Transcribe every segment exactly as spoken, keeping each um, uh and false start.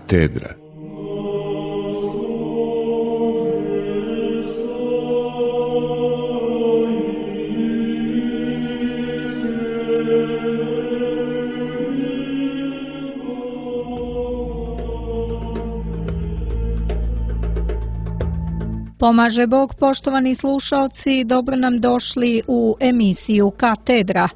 Katedra. Pomaže Bog, poštovani slušaoci, dobro nam došli u emisiju Katedra.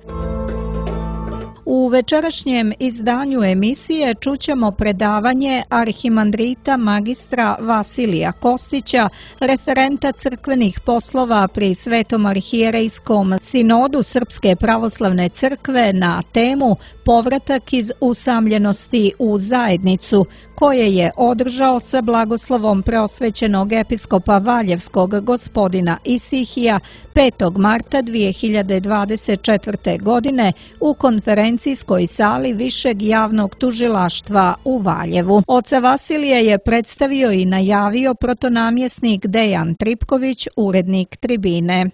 U večerašnjem izdanju emisije čućemo predavanje arhimandrita magistra Vasilija Kostića, referenta crkvenih poslova pri Svetom arhijerejskom sinodu Srpske pravoslavne crkve na temu Povratak iz usamljenosti u zajednicu, koje je održao sa blagoslovom preosvećenog episkopa Valjevskog gospodina Isihija petog marta dvije hiljade dvadeset četvrte. godine u konferencijskoj sali Višeg javnog tužilaštva u Valjevu. Oca Vasilija je predstavio i najavio protonamjesnik Dejan Tripković, urednik Tribine.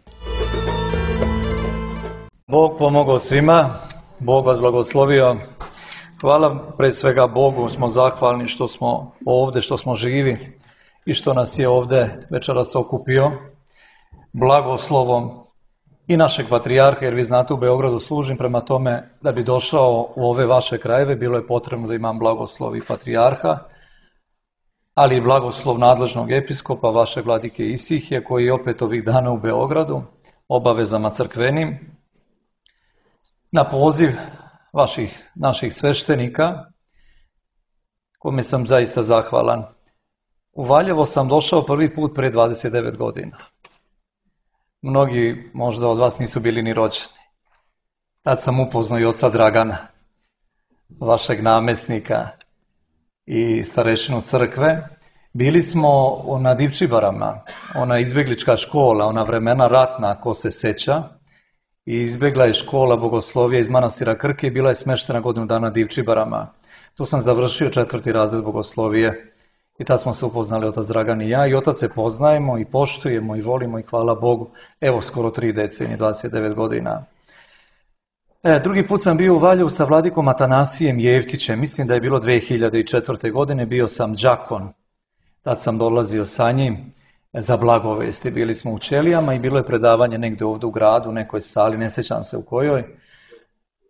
Bog pomogao svima, Bog vas blagoslovio. Hvala pre svega Bogu, smo zahvalni što smo ovdje, što smo živi i što nas je ovdje večeras okupio blagoslovom i našeg patrijarha, jer vi znate u Beogradu služim, prema tome da bi došao u ove vaše krajeve bilo je potrebno da imam blagoslov i patrijarha, ali i blagoslov nadležnog episkopa, vaše vladike Isihije, koji je opet ovih dana u Beogradu, obavezama crkvenim, na poziv vaših, naših sveštenika, kome sam zaista zahvalan. U Valjevo sam došao prvi put pre dvadeset devet godina. Mnogi možda od vas nisu bili ni rođeni. Tad sam upoznao i oca Dragana, vašeg namesnika i starešinu crkve. Bili smo na Divčibarama, ona izbjeglička škola, ona vremena ratna, ko se seća. I izbjegla je škola bogoslovija iz manastira Krke i bila je smeštena godinu dana Divčibarama. Tu sam završio četvrti razred bogoslovije i tad smo se upoznali otac Dragan i ja i otac se poznajemo i poštujemo i volimo i hvala Bogu. Evo skoro tri decenije, dvadeset devet godina. E, drugi put sam bio u Valjevu sa vladikom Atanasijem Jevtićem, mislim da je bilo dvije hiljade četvrte. godine, bio sam đakon. Tad sam dolazio sa njim za blagovesti. Bili smo u Ćelijama i bilo je predavanje negdje ovdje u gradu, u nekoj sali, ne sjećam se u kojoj.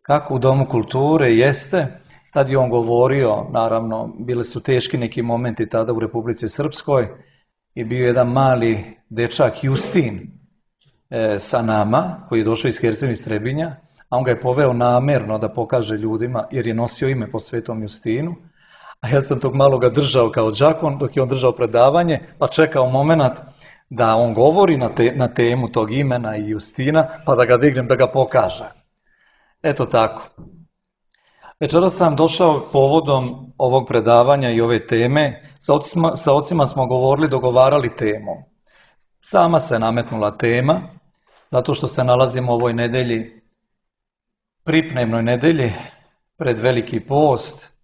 Kako u Domu kulture jeste, tad je on govorio, naravno, bili su teški neki momenti tada u Republici Srpskoj i bio jedan mali dečak Justin e, sa nama, koji je došao iz Herceg iz Trebinja, a on ga je poveo namerno da pokaže ljudima, jer je nosio ime po Svetom Justinu. A ja sam tog maloga držao kao đakon dok je on držao predavanje, pa čekao moment da on govori na, te, na temu tog imena i Justina, pa da ga dignem da ga pokaže. Eto tako. Večeras sam došao povodom ovog predavanja i ove teme. Sa ocima, sa ocima smo govorili, dogovarali temu. Sama se nametnula tema, zato što se nalazimo u ovoj nedelji, pripnemnoj nedelji, pred Veliki post.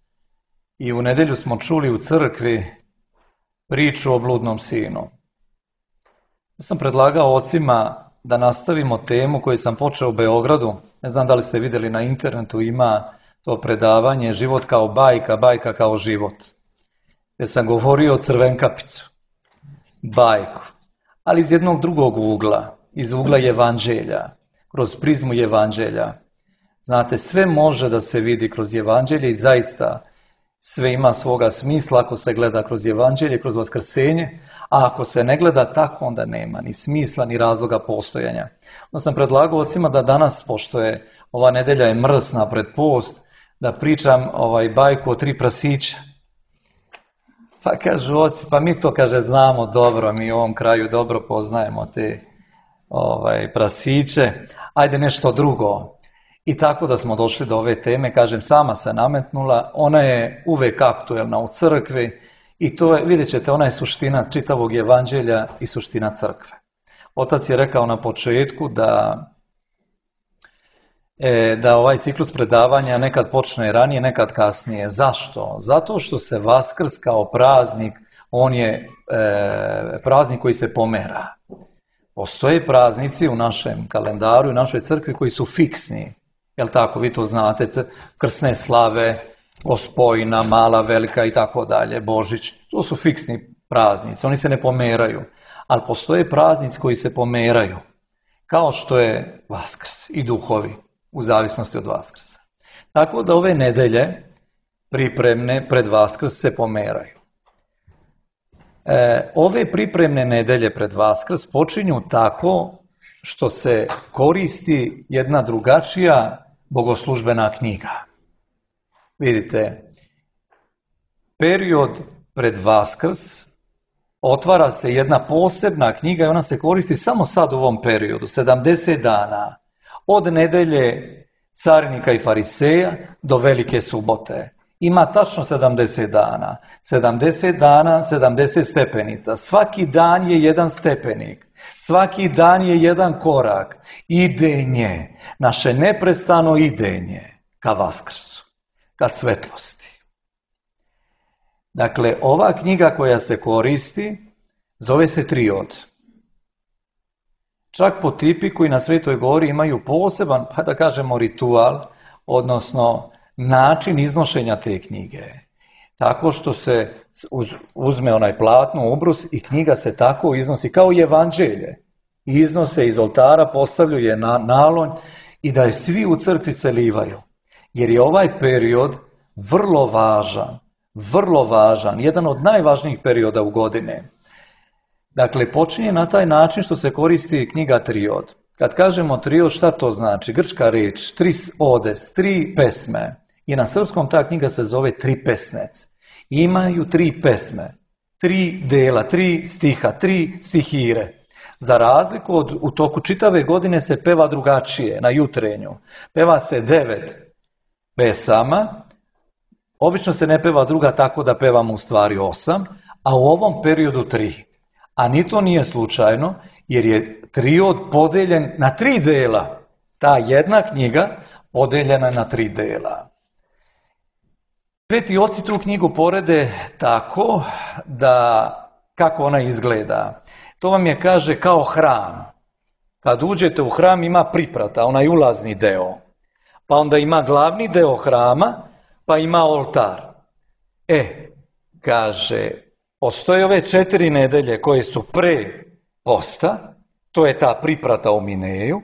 I u nedjelju smo čuli u crkvi priču o bludnom sinu. Ja sam predlagao ocima da nastavimo temu koju sam počeo u Beogradu. Ne znam da li ste vidjeli na internetu, ima to predavanje Život kao bajka, bajka kao život. Gdje sam govorio o Crvenkapicu, bajku, ali iz jednog drugog ugla, iz ugla Evanđelja, kroz prizmu Evanđelja. Znate, sve može da se vidi kroz Evanđelje i zaista sve ima svoga smisla ako se gleda kroz Evanđelje, kroz vaskrsenje, a ako se ne gleda tako, onda nema ni smisla, ni razloga postojanja. Onda sam predlagao ocima da danas, pošto je ova nedelja je mrsna pred post, da pričam ovaj bajku o tri prasića. Pa kažu oci, pa mi to, kaže, znamo dobro, mi u ovom kraju dobro poznajemo te ovaj, prasiće, ajde nešto drugo. I tako da smo došli do ove teme, kažem, sama se nametnula, ona je uvek aktuelna u crkvi i to je, vidjet ćete, ona je suština čitavog Evanđelja i suština crkve. Otac je rekao na početku da, e, da ovaj ciklus predavanja nekad počne ranije, nekad kasnije. Zašto? Zato što se Vaskrs kao praznik, on je e, praznik koji se pomera. Postoje praznici u našem kalendaru i u našoj crkvi koji su fiksni. Jel tako, vi to znate, krsne slave Gospojina, Mala, Velika i tako dalje, Božić. To su fiksni praznici, oni se ne pomeraju. Ali postoje praznici koji se pomeraju, kao što je Vaskrs i duhovi, u zavisnosti od Vaskrsa. Tako da ove nedelje pripremne pred Vaskrs se pomeraju. E, ove pripremne nedelje pred Vaskrs počinju tako što se koristi jedna drugačija bogoslužbena knjiga. Vidite, period pred Vaskrs otvara se jedna posebna knjiga i ona se koristi samo sad u ovom periodu, sedamdeset dana, od nedelje carinika i fariseja do Velike subote. Ima tačno sedamdeset dana. sedamdeset dana, sedamdeset stepenica. Svaki dan je jedan stepenik. Svaki dan je jedan korak. Idenje. Naše neprestano idenje ka Vaskrsu, ka svetlosti. Dakle, ova knjiga koja se koristi zove se Triod. Čak po tipiku i na Svetoj Gori imaju poseban, pa da kažemo, ritual, odnosno način iznošenja te knjige. Tako što se uzme onaj platno, ubrus i knjiga se tako iznosi kao i evanđelje. Iznose iz oltara, postavljaju je na nalonj i da je svi u crkvi celivaju. Jer je ovaj period vrlo važan, vrlo važan, jedan od najvažnijih perioda u godine. Dakle, počinje na taj način što se koristi knjiga Triod. Kad kažemo Triod, šta to znači? Grčka reč, tris odes, tri pesme. I na srpskom ta knjiga se zove Tri pesnec. Imaju tri pesme, tri dela, tri stiha, tri stihire. Za razliku od, u toku čitave godine se peva drugačije, na jutrenju. Peva se devet pesama, obično se ne peva druga tako da pevamo u stvari osam, a u ovom periodu tri. A ni to nije slučajno, jer je Triod podeljen na tri dela. Ta jedna knjiga podeljena na tri dela. Sveti oci tu knjigu porede tako da, kako ona izgleda. To vam je, kaže, kao hram. Kad uđete u hram ima priprata, onaj ulazni deo. Pa onda ima glavni deo hrama, pa ima oltar. E, kaže, postoje ove četiri nedelje koje su pre posta, to je ta priprata u Mineju.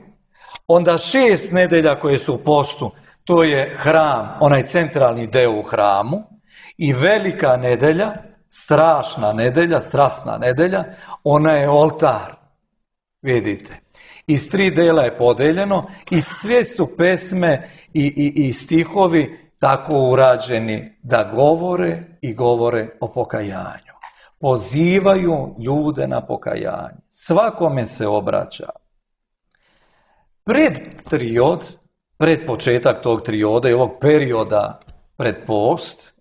Onda šest nedelja koje su u postu, to je hram, onaj centralni deo u hramu. I velika nedelja, strašna nedelja, strasna nedelja, ona je oltar. Vidite. Iz tri dela je podeljeno i sve su pesme i, i, i stihovi tako urađeni da govore i govore o pokajanju. Pozivaju ljude na pokajanje. Svakome se obraća. Pred Triod, pred početak tog trioda i ovog perioda pred post,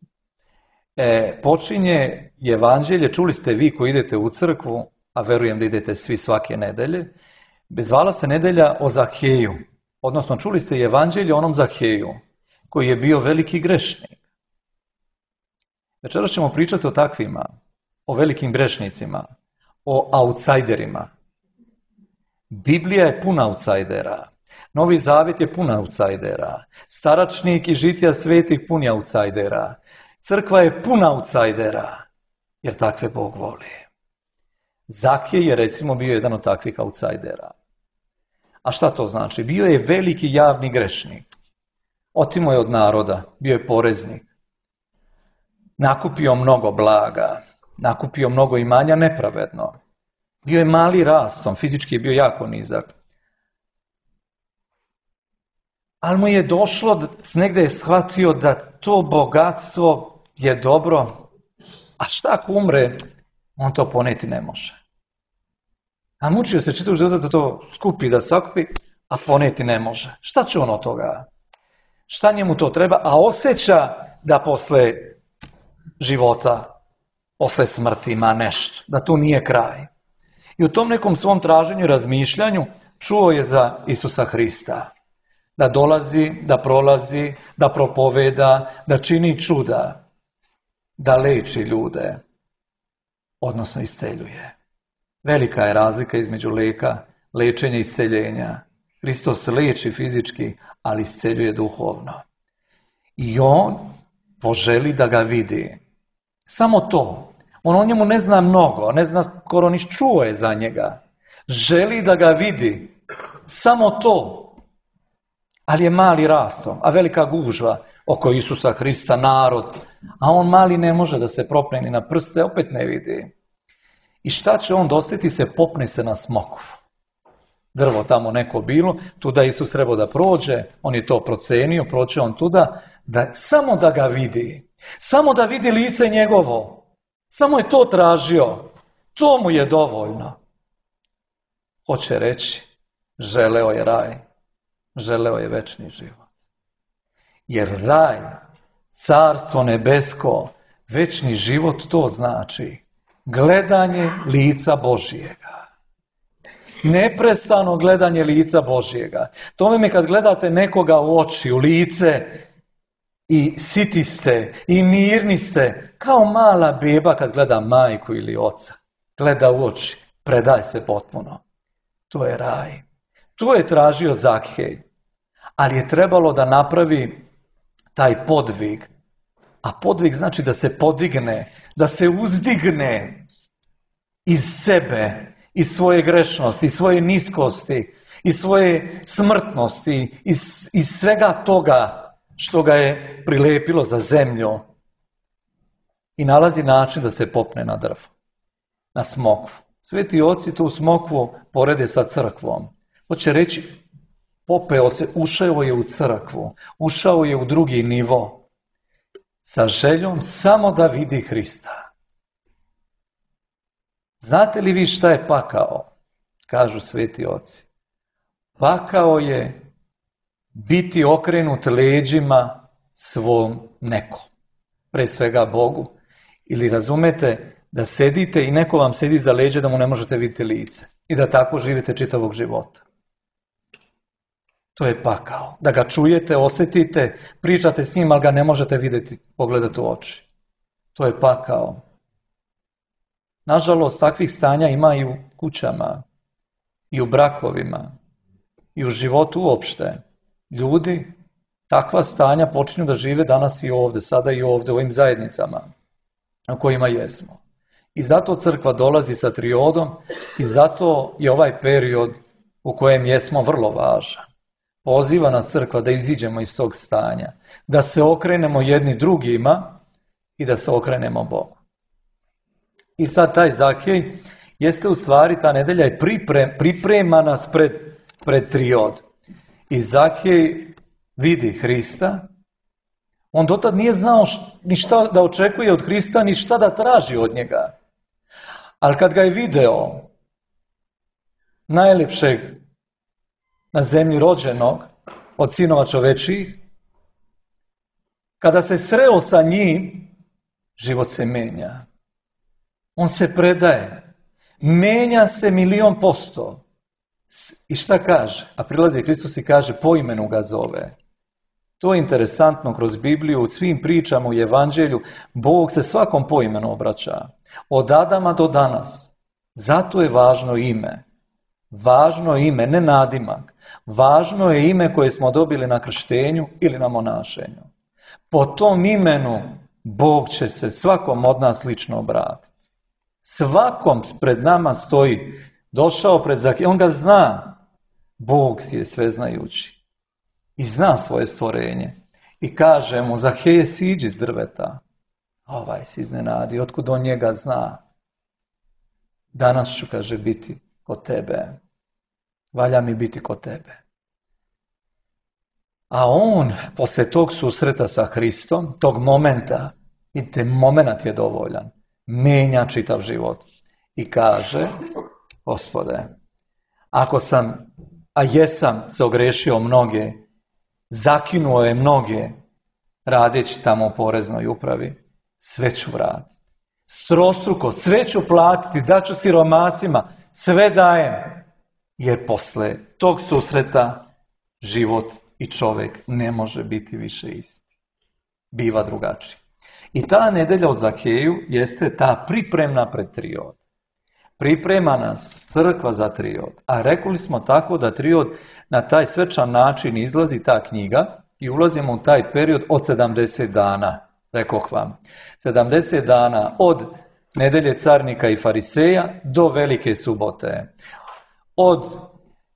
e, počinje evanđelje, čuli ste vi koji idete u crkvu, a verujem da idete svi svake nedelje, zvala se nedelja o Zaheju, odnosno čuli ste evanđelje o onom Zaheju, koji je bio veliki grešnik. Večeras ćemo pričati o takvima, o velikim grešnicima, o outsiderima. Biblija je puna outsidera. Novi Zavjet je pun outsidera. Staračnik i žitija svetih pun outsidera. Crkva je puna outsidera, jer takve Bog voli. Zahej je recimo bio jedan od takvih outsidera. A šta to znači? Bio je veliki javni grešnik. Otimo je od naroda, bio je poreznik. Nakupio mnogo blaga, nakupio mnogo imanja nepravedno. Bio je mali rastom, fizički je bio jako nizak. Ali mu je došlo, negdje je shvatio da to bogatstvo je dobro, a šta ako umre, on to poneti ne može. A mučio se čitav život da to skupi, da sakupi, a poneti ne može. Šta će on od toga? Šta njemu to treba? A osjeća da posle života, posle smrti ima nešto, da tu nije kraj. I u tom nekom svom traženju i razmišljanju čuo je za Isusa Hrista. Da dolazi, da prolazi, da propoveda, da čini čuda, da leči ljude, odnosno isceljuje. Velika je razlika između leka, lečenja i isceljenja. Hristos leči fizički, ali isceljuje duhovno. I on poželi da ga vidi. Samo to. On o njemu ne zna mnogo, ne zna skoro niš čuo je za njega. Želi da ga vidi. Samo to. Ali je mali rastom, a velika gužva oko Isusa Hrista, narod. A on mali ne može da se propne ni na prste, opet ne vidi. I šta će on dosjeti se, popne se na smokvu. Drvo tamo neko bilo, tuda Isus trebao da prođe, on je to procenio, proće on tuda, da, samo da ga vidi, samo da vidi lice njegovo, samo je to tražio, to mu je dovoljno. Hoće reći, želeo je raj, želeo je večni život. Jer raj, carstvo nebesko, večni život, to znači gledanje lica Božijega. Neprestano gledanje lica Božijega. To mi kad gledate nekoga u oči, u lice, i siti ste, i mirni ste, kao mala beba kad gleda majku ili oca. Gleda u oči, predaj se potpuno. To je raj. To je tražio Zakhej. Ali je trebalo da napravi taj podvig. A podvig znači da se podigne, da se uzdigne iz sebe, iz svoje grešnosti, iz svoje niskosti, iz svoje smrtnosti, iz, iz svega toga što ga je prilepilo za zemlju. I nalazi način da se popne na drvo, na smokvu. Sveti oci tu smokvu porede sa crkvom. Hoće reći, popeo se, ušao je u crkvu, ušao je u drugi nivo, sa željom samo da vidi Hrista. Znate li vi šta je pakao? Kažu sveti oci. Pakao je biti okrenut leđima svom nekom. Pre svega Bogu. Ili razumete da sedite i neko vam sedi za leđe da mu ne možete vidjeti lice. I da tako živite čitavog života. To je pakao. Da ga čujete, osjetite, pričate s njim, ali ga ne možete vidjeti, pogledati u oči. To je pakao. Nažalost, takvih stanja ima i u kućama, i u brakovima, i u životu uopšte. Ljudi takva stanja počinju da žive danas i ovdje, sada i ovdje, u ovim zajednicama u kojima jesmo. I zato crkva dolazi sa triodom i zato je ovaj period u kojem jesmo vrlo važan. Poziva nas crkva da iziđemo iz tog stanja, da se okrenemo jedni drugima i da se okrenemo Bogu. I sad taj Zakhej jeste u stvari, ta nedelja je priprem, priprema nas pred, pred triod. I Zakhej vidi Hrista. On dotad nije znao ni šta da očekuje od Hrista, ni šta da traži od njega. Ali kad ga je video, najlepšeg na zemlji rođenog od sinova čovečijih, kada se sreo sa njim, život se menja. On se predaje. Menja se milion posto. I šta kaže? A prilazi Hristos i kaže, po imenu ga zove. To je interesantno kroz Bibliju, u svim pričama u Evanđelju, Bog se svakom po imenu obraća. Od Adama do danas. Zato je važno ime. Važno je ime, ne nadimak. Važno je ime koje smo dobili na krštenju ili na monašenju. Po tom imenu Bog će se svakom od nas lično obratiti. Svakom pred nama stoji, došao pred Zakhej, on ga zna. Bog je sveznajući i zna svoje stvorenje. I kaže mu, Zahej, siđi s drveta. Ovaj se iznenadi, otkud on njega zna. Danas ću, kaže, biti kod tebe. Valja mi biti kod tebe. A on, posle tog susreta sa Hristom, tog momenta, vidite, moment je dovoljan, menja čitav život. I kaže, Gospode, ako sam, a jesam se ogrešio mnoge, zakinuo je mnoge, radeći tamo u poreznoj upravi, sve ću vratiti. Strostruko, sve ću platiti, daću siromasima, sve dajem. Jer posle tog susreta život i čovjek ne može biti više isti. Biva drugačiji. I ta nedelja o Zakheju jeste ta pripremna pred triod. Priprema nas crkva za triod. A rekli smo tako da triod na taj svečan način izlazi ta knjiga i ulazimo u taj period od sedamdeset dana. rekoh vam. sedamdeset dana od nedelje carnika i fariseja do velike subote. Od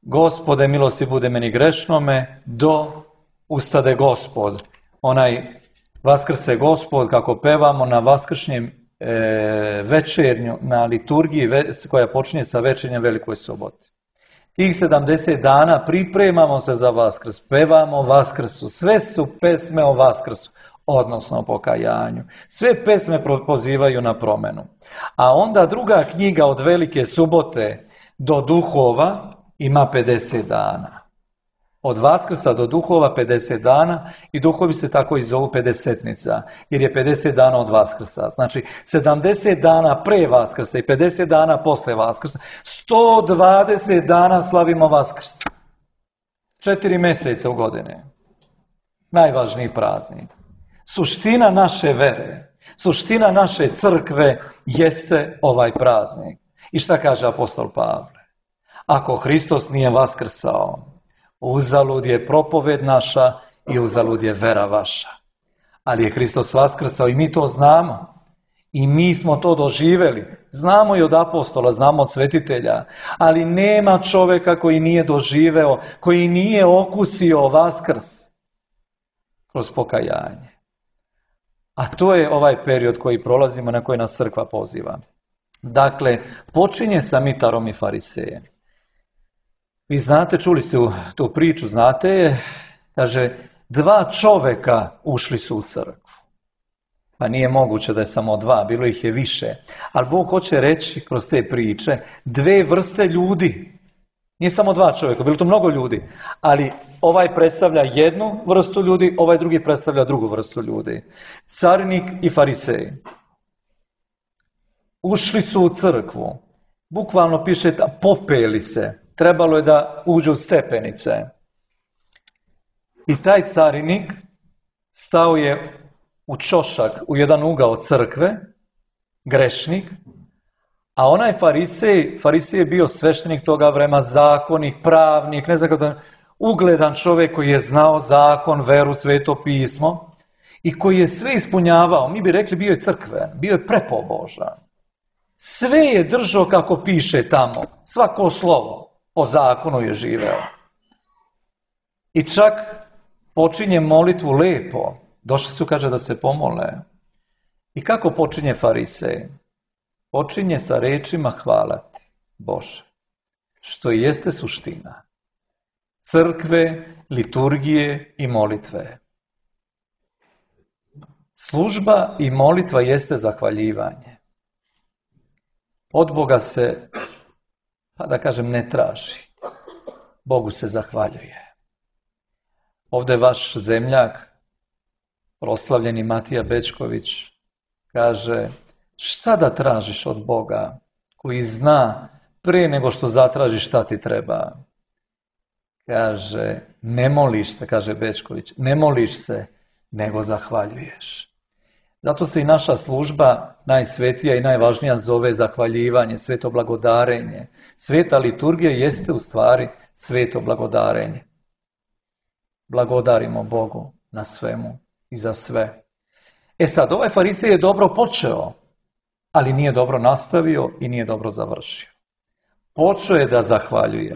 Gospode milosti bude meni grešnome do ustade Gospod. Onaj vaskrse Gospod, kako pevamo na vaskršnjem e, večernju, na liturgiji ve, koja počinje sa večernjem velikoj soboti. Tih sedamdeset dana pripremamo se za Vaskrs, pevamo Vaskrsu, sve su pesme o Vaskrsu, odnosno o pokajanju. Sve pesme pozivaju na promenu. A onda druga knjiga od velike subote do duhova ima pedeset dana. Od Vaskrsa do duhova pedeset dana i duhovi se tako i zovu pedesetnica, jer je pedeset dana od Vaskrsa. Znači sedamdeset dana pre Vaskrsa i pedeset dana posle Vaskrsa, sto dvadeset dana slavimo Vaskrs. Četiri mjeseca u godine. Najvažniji praznik. Suština naše vere, suština naše crkve jeste ovaj praznik. I šta kaže apostol Pavle? Ako Hristos nije vaskrsao, uzalud je propoved naša i uzalud je vera vaša. Ali je Hristos vaskrsao i mi to znamo. I mi smo to doživjeli. Znamo i od apostola, znamo od svetitelja. Ali nema čovjeka koji nije doživeo, koji nije okusio Vaskrs kroz pokajanje. A to je ovaj period koji prolazimo, na koji nas crkva poziva. Dakle, počinje sa mitarom i farisejem. Vi znate, čuli ste tu priču, znate je, kaže, dva čovjeka ušli su u crkvu. Pa nije moguće da je samo dva, bilo ih je više. Ali Bog hoće reći kroz te priče dve vrste ljudi. Nije samo dva čovjeka, bilo to mnogo ljudi. Ali ovaj predstavlja jednu vrstu ljudi, ovaj drugi predstavlja drugu vrstu ljudi. Carinik i farisej. Ušli su u crkvu. Bukvalno piše, popeli se. Trebalo je da uđu u stepenice. I taj carinik stao je u ćošak, u jedan ugao crkve, grešnik, a onaj farisej, farisej je bio sveštenik toga vremena, zakonik, pravnik, ne znam kako da, ugledan čovjek koji je znao zakon, veru, sveto pismo i koji je sve ispunjavao. Mi bi rekli bio je crkven, bio je prepobožan. Sve je držao kako piše tamo, svako slovo po zakonu je živeo. I čak počinje molitvu lepo. Došli su, kaže, da se pomole. I kako počinje farisej? Počinje sa rečima hvala ti, Bože, što jeste suština crkve, liturgije i molitve. Služba i molitva jeste zahvaljivanje. Od Boga se, pa da kažem, ne traži. Bogu se zahvaljuje. Ovdje vaš zemljak, proslavljeni Matija Bečković, kaže, šta da tražiš od Boga koji zna pre nego što zatražiš šta ti treba? Kaže, ne moliš se, kaže Bečković, ne moliš se, nego zahvaljuješ. Zato se i naša služba najsvetija i najvažnija zove zahvaljivanje, sveto blagodarenje. Sveta liturgija jeste u stvari sveto blagodarenje. Blagodarimo Bogu na svemu i za sve. E sad, ovaj farisej je dobro počeo, ali nije dobro nastavio i nije dobro završio. Počeo je da zahvaljuje,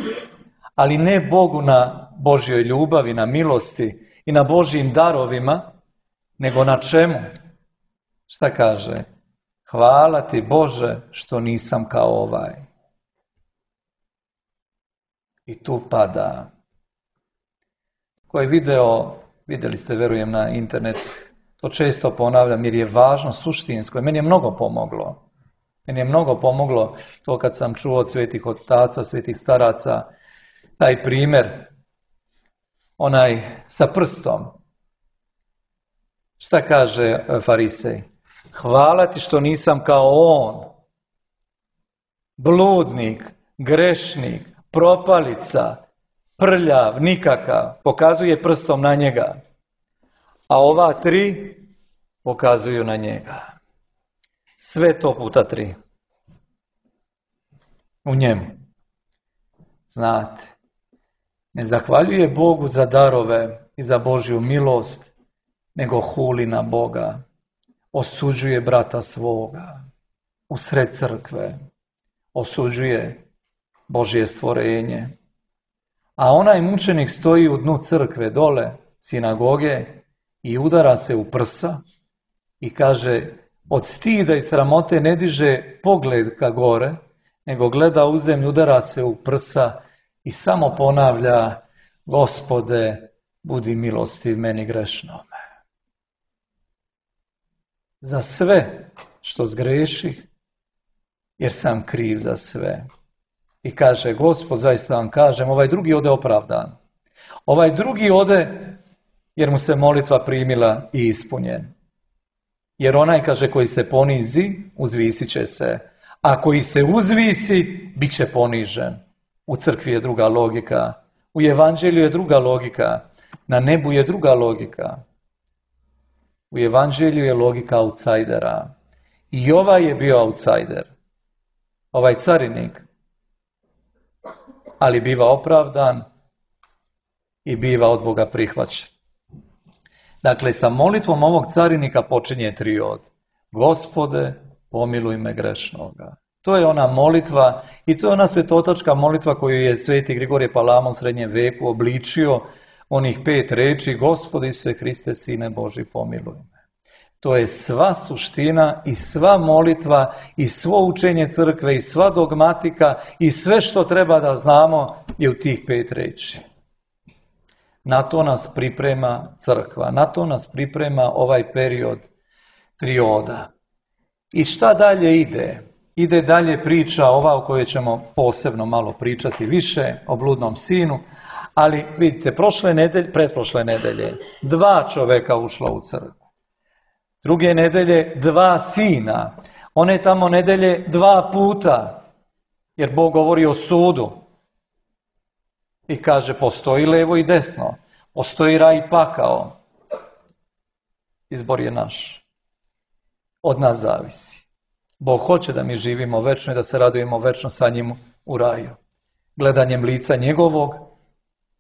ali ne Bogu na Božjoj ljubavi, na milosti i na Božjim darovima, nego na čemu? Šta kaže? Hvala ti Bože što nisam kao ovaj. I tu pada. Koji video, vidjeli ste, verujem, na internetu, to često ponavljam jer je važno suštinsko. Meni je mnogo pomoglo. Meni je mnogo pomoglo to kad sam čuo od svetih otaca, svetih staraca, taj primjer, onaj sa prstom. Šta kaže farisej? Hvala ti što nisam kao on, bludnik, grešnik, propalica, prljav, nikakav, pokazuje prstom na njega. A ova tri pokazuju na njega. Sve to puta tri. U njemu. Znate, ne zahvaljuje Bogu za darove i za Božju milost, nego huli na Boga. osuđuje brata svoga u sred crkve, osuđuje Božje stvorenje. A onaj mučenik stoji u dnu crkve dole, sinagoge, i udara se u prsa i kaže, od stida i sramote ne diže pogled ka gore, nego gleda u zemlju, udara se u prsa i samo ponavlja, Gospode, budi milostiv meni grešnome. Za sve što zgreših, jer sam kriv za sve. I kaže, Gospod, zaista vam kažem, ovaj drugi ode opravdan. Ovaj drugi ode jer mu se molitva primila i ispunjen. Jer onaj, kaže, koji se ponizi, uzvisit će se. A koji se uzvisi, bit će ponižen. U crkvi je druga logika. U evanđelju je druga logika. Na nebu je druga logika. U evanđelju je logika outsajdera. I ovaj je bio outsajder. Ovaj carinik. Ali biva opravdan i biva od Boga prihvaćen. Dakle, sa molitvom ovog carinika počinje triod. Gospode, pomiluj me grešnoga. To je ona molitva i to je ona svetotačka molitva koju je sveti Grigorije Palama u srednjem veku obličio, onih pet reči, Gospode Isuse Hriste, Sine Boži, pomiluj me. To je sva suština i sva molitva i svo učenje crkve i sva dogmatika i sve što treba da znamo je u tih pet reči. Na to nas priprema crkva, na to nas priprema ovaj period trioda. I šta dalje ide? Ide dalje priča ova o kojoj ćemo posebno malo pričati više, o bludnom sinu, ali vidite, prošle nedelje, pretprošle nedelje, dva čoveka ušla u crkvu. Druge nedelje, dva sina. One tamo nedelje dva puta, jer Bog govori o sudu. I kaže, postoji levo i desno, postoji raj i pakao. Izbor je naš. Od nas zavisi. Bog hoće da mi živimo večno i da se radujemo večno sa njim u raju. Gledanjem lica njegovog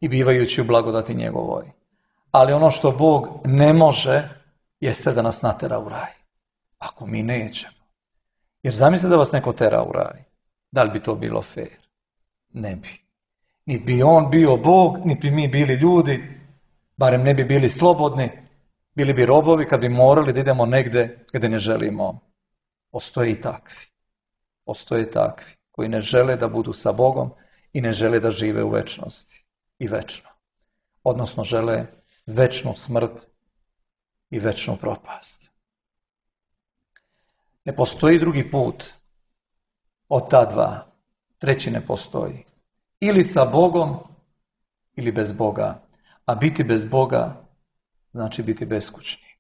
i bivajući u blagodati njegovoj. Ali ono što Bog ne može, jeste da nas natera u raj. Ako mi nećemo. Jer zamislite da vas neko tera u raj. Da li bi to bilo fair? Ne bi. Niti bi on bio Bog, niti bi mi bili ljudi, barem ne bi bili slobodni, bili bi robovi kad bi morali da idemo negde gde ne želimo. Postoje i takvi. Postoje takvi koji ne žele da budu sa Bogom i ne žele da žive u večnosti i večno. Odnosno žele večnu smrt i večnu propast. Ne postoji drugi put od ta dva. Treći ne postoji. Ili sa Bogom, ili bez Boga. A biti bez Boga znači biti beskućnik.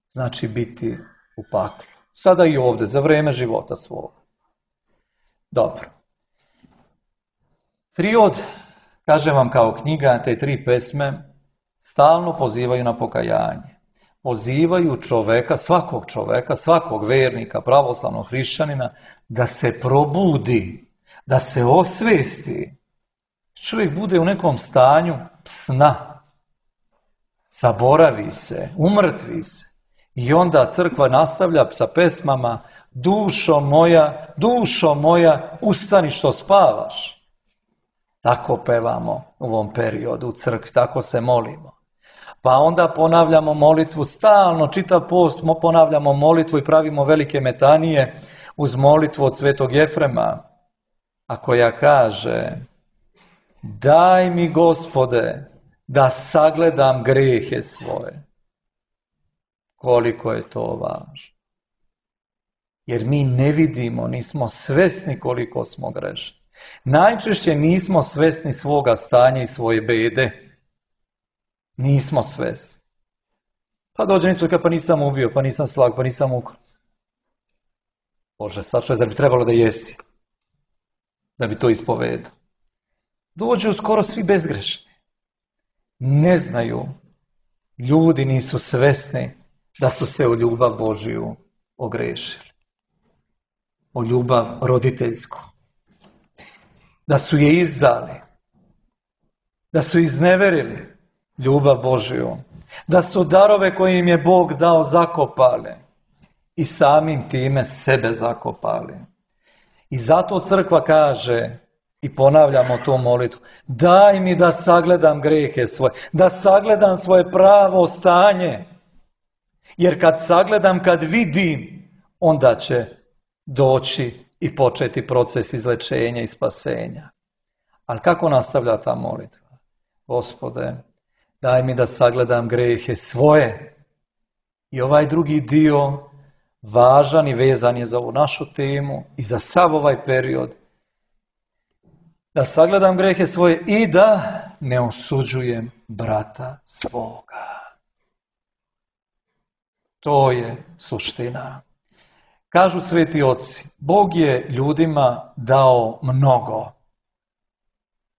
Znači biti u paklu. Sada i ovdje, za vrijeme života svog. Dobro. Triod, kažem vam kao knjiga, te tri pesme, stalno pozivaju na pokajanje. Pozivaju čoveka, svakog čoveka, svakog vernika, pravoslavnog hrišćanina, da se probudi, da se osvesti. Čovjek bude u nekom stanju sna. Zaboravi se, umrtvi se. I onda crkva nastavlja sa pesmama, dušo moja, dušo moja, ustani što spavaš. Tako pevamo u ovom periodu u crkvi, tako se molimo. Pa onda ponavljamo molitvu, stalno, čitav post ponavljamo molitvu i pravimo velike metanije uz molitvu od svetog Jefrema, a koja kaže, daj mi, Gospode, da sagledam grehe svoje. Koliko je to važno. Jer mi ne vidimo, nismo svesni koliko smo grešni. Najčešće nismo svesni svoga stanja i svoje bede. Nismo svesni. Pa dođe isto kao, pa nisam ubio, pa nisam slag, pa nisam ukrao. Bože, sad što je, zar bi trebalo da jesi? Da bi to ispovedao. Dođu skoro svi bezgrešni. Ne znaju. Ljudi nisu svesni da su se u ljubav Božiju ogrešili. O ljubav roditeljsku. Da su je izdali. Da su izneverili ljubav Božiju. da su darove koje im je Bog dao zakopali i samim time sebe zakopali. I zato crkva kaže, i ponavljamo tu molitvu, daj mi da sagledam grehe svoje, da sagledam svoje pravo stanje. Jer kad sagledam, kad vidim, onda će doći i početi proces izlečenja i spasenja. Ali kako nastavlja ta molitva? Gospode, daj mi da sagledam grehe svoje. I ovaj drugi dio, važan i vezan je za ovu našu temu i za sav ovaj period, da sagledam grehe svoje i da ne osuđujem brata svoga. To je suština. Kažu sveti oci, Bog je ljudima dao mnogo.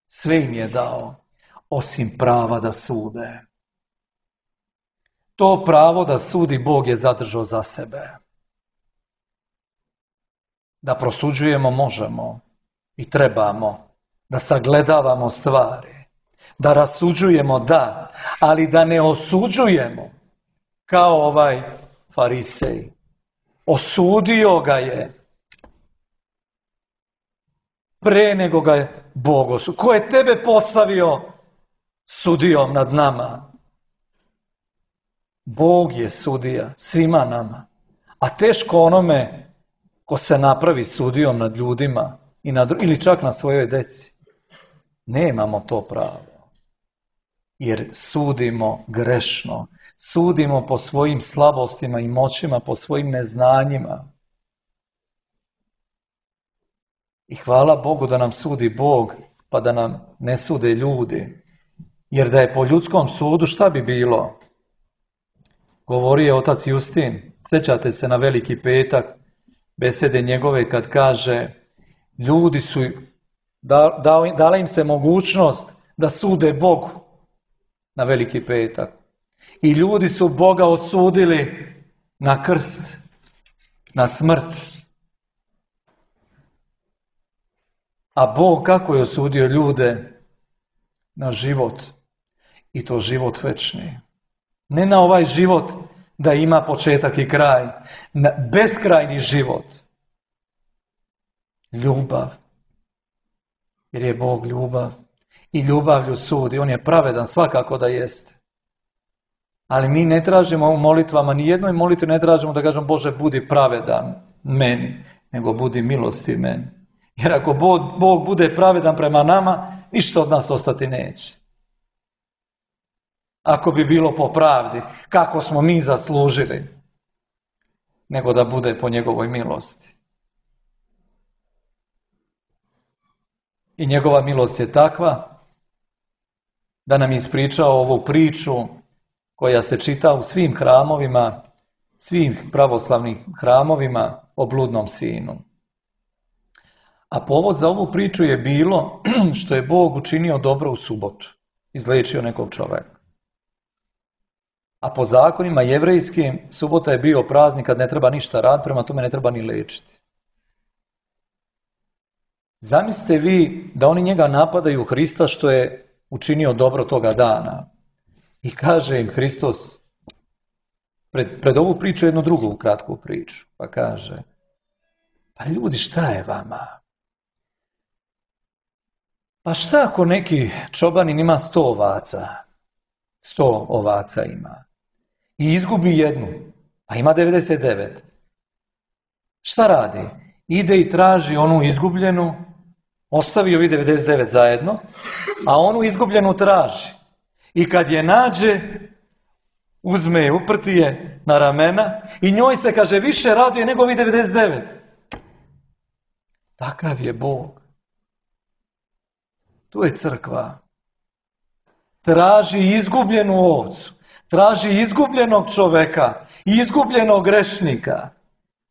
Sve im je dao, osim prava da sude. To pravo da sudi Bog je zadržao za sebe. Da prosuđujemo možemo i trebamo, da sagledavamo stvari, da rasuđujemo da, ali da ne osuđujemo kao ovaj farisej. Osudio ga je pre nego ga je Bog osudio. Ko je tebe postavio sudijom nad nama? Bog je sudija svima nama. A teško onome ko se napravi sudijom nad ljudima i nad, ili čak na svojoj deci. Nemamo to pravo. Jer sudimo grešno. Sudimo po svojim slabostima i moćima, po svojim neznanjima. I hvala Bogu da nam sudi Bog, pa da nam ne sude ljudi. Jer da je po ljudskom sudu, šta bi bilo? Govorio je otac Justin, sjećate se na Veliki petak, besede njegove kad kaže, ljudi su, da, da, dala im se mogućnost da sude Bogu na Veliki petak. I ljudi su Boga osudili na krst, na smrt. A Bog kako je osudio ljude? Na život. I to život večni. Ne na ovaj život da ima početak i kraj. Na beskrajni život. Ljubav. Jer je Bog ljubav. I ljubavlju sudi. On je pravedan, svakako da jeste. Ali mi ne tražimo u molitvama, ni jednoj molitvi ne tražimo da kažemo Bože budi pravedan meni, nego budi milosti meni. Jer ako Bog, Bog bude pravedan prema nama, ništa od nas ostati neće. Ako bi bilo po pravdi, kako smo mi zaslužili, nego da bude po njegovoj milosti. I njegova milost je takva da nam je ispričao ovu priču koja se čita u svim hramovima, svim pravoslavnim hramovima o bludnom sinu. A povod za ovu priču je bilo što je Bog učinio dobro u subotu, izliječio nekog čovjeka. A po zakonima jevrejskim subota je bio praznik kad ne treba ništa raditi, prema tome ne treba ni liječiti. Zamislite vi da oni njega napadaju Hrista što je učinio dobro toga dana. I kaže im Hristos, pred, pred ovu priču jednu drugu kratku priču, pa kaže, pa ljudi šta je vama? Pa šta ako neki čobanin ima sto ovaca? Sto ovaca ima. I izgubi jednu, a ima devedeset devet. Šta radi? Ide i traži onu izgubljenu, ostavi ovi devedeset devet zajedno, a onu izgubljenu traži. I kad je nađe, uzme je, uprti je na ramena i njoj se, kaže, više raduje nego ovi devedeset devet. Takav je Bog. Tu je crkva. Traži izgubljenu ovcu, traži izgubljenog čoveka, izgubljenog grešnika.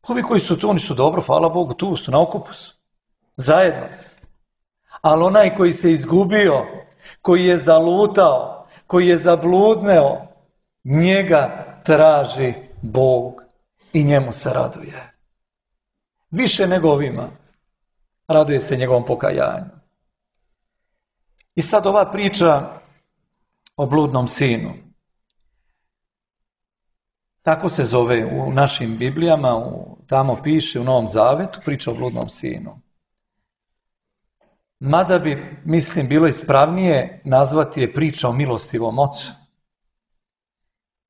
Ovi koji su tu, oni su dobro, hvala Bogu, tu su, na okupu su. Zajedno su. Ali onaj koji se izgubio, koji je zalutao, koji je zabludneo, njega traži Bog i njemu se raduje. Više nego ovima. Raduje se njegovom pokajanju. I sad ova priča o bludnom sinu. Tako se zove u našim Biblijama, u, tamo piše u Novom Zavetu, priča o bludnom sinu. Mada bi, mislim, bilo ispravnije nazvati je priča o milostivom ocu.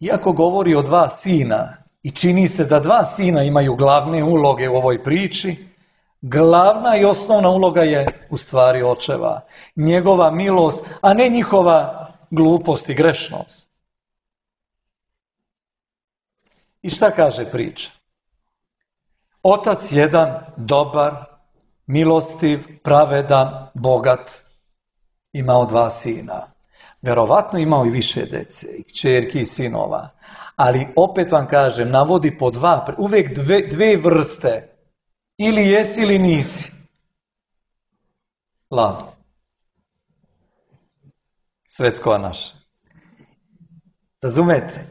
Iako govori o dva sina i čini se da dva sina imaju glavne uloge u ovoj priči, glavna i osnovna uloga je u stvari očeva. Njegova milost, a ne njihova glupost i grešnost. I šta kaže priča? Otac jedan, dobar, milostiv, pravedan, bogat, imao dva sina. Verovatno imao i više dece, i kćerki i sinova. Ali opet vam kažem, navodi po dva, uvijek dve, dve vrste. Ili jesi ili nisi. Lav. Svetskova naša. Razumete?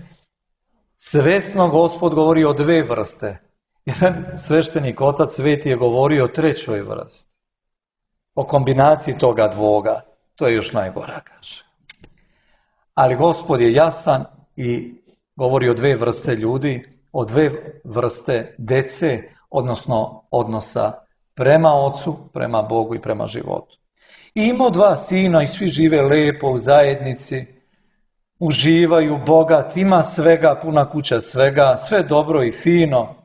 Svesno Gospod govori o dve vrste. Jedan sveštenik, otac sveti, je govorio o trećoj vrsti. O kombinaciji toga dvoga. To je još najgora, kaže. Ali Gospod je jasan i govori o dve vrste ljudi, o dve vrste dece, odnosno odnosa prema ocu, prema Bogu i prema životu. I imao dva sina i svi žive lepo u zajednici, uživaju, bogat, ima svega, puna kuća svega, sve dobro i fino.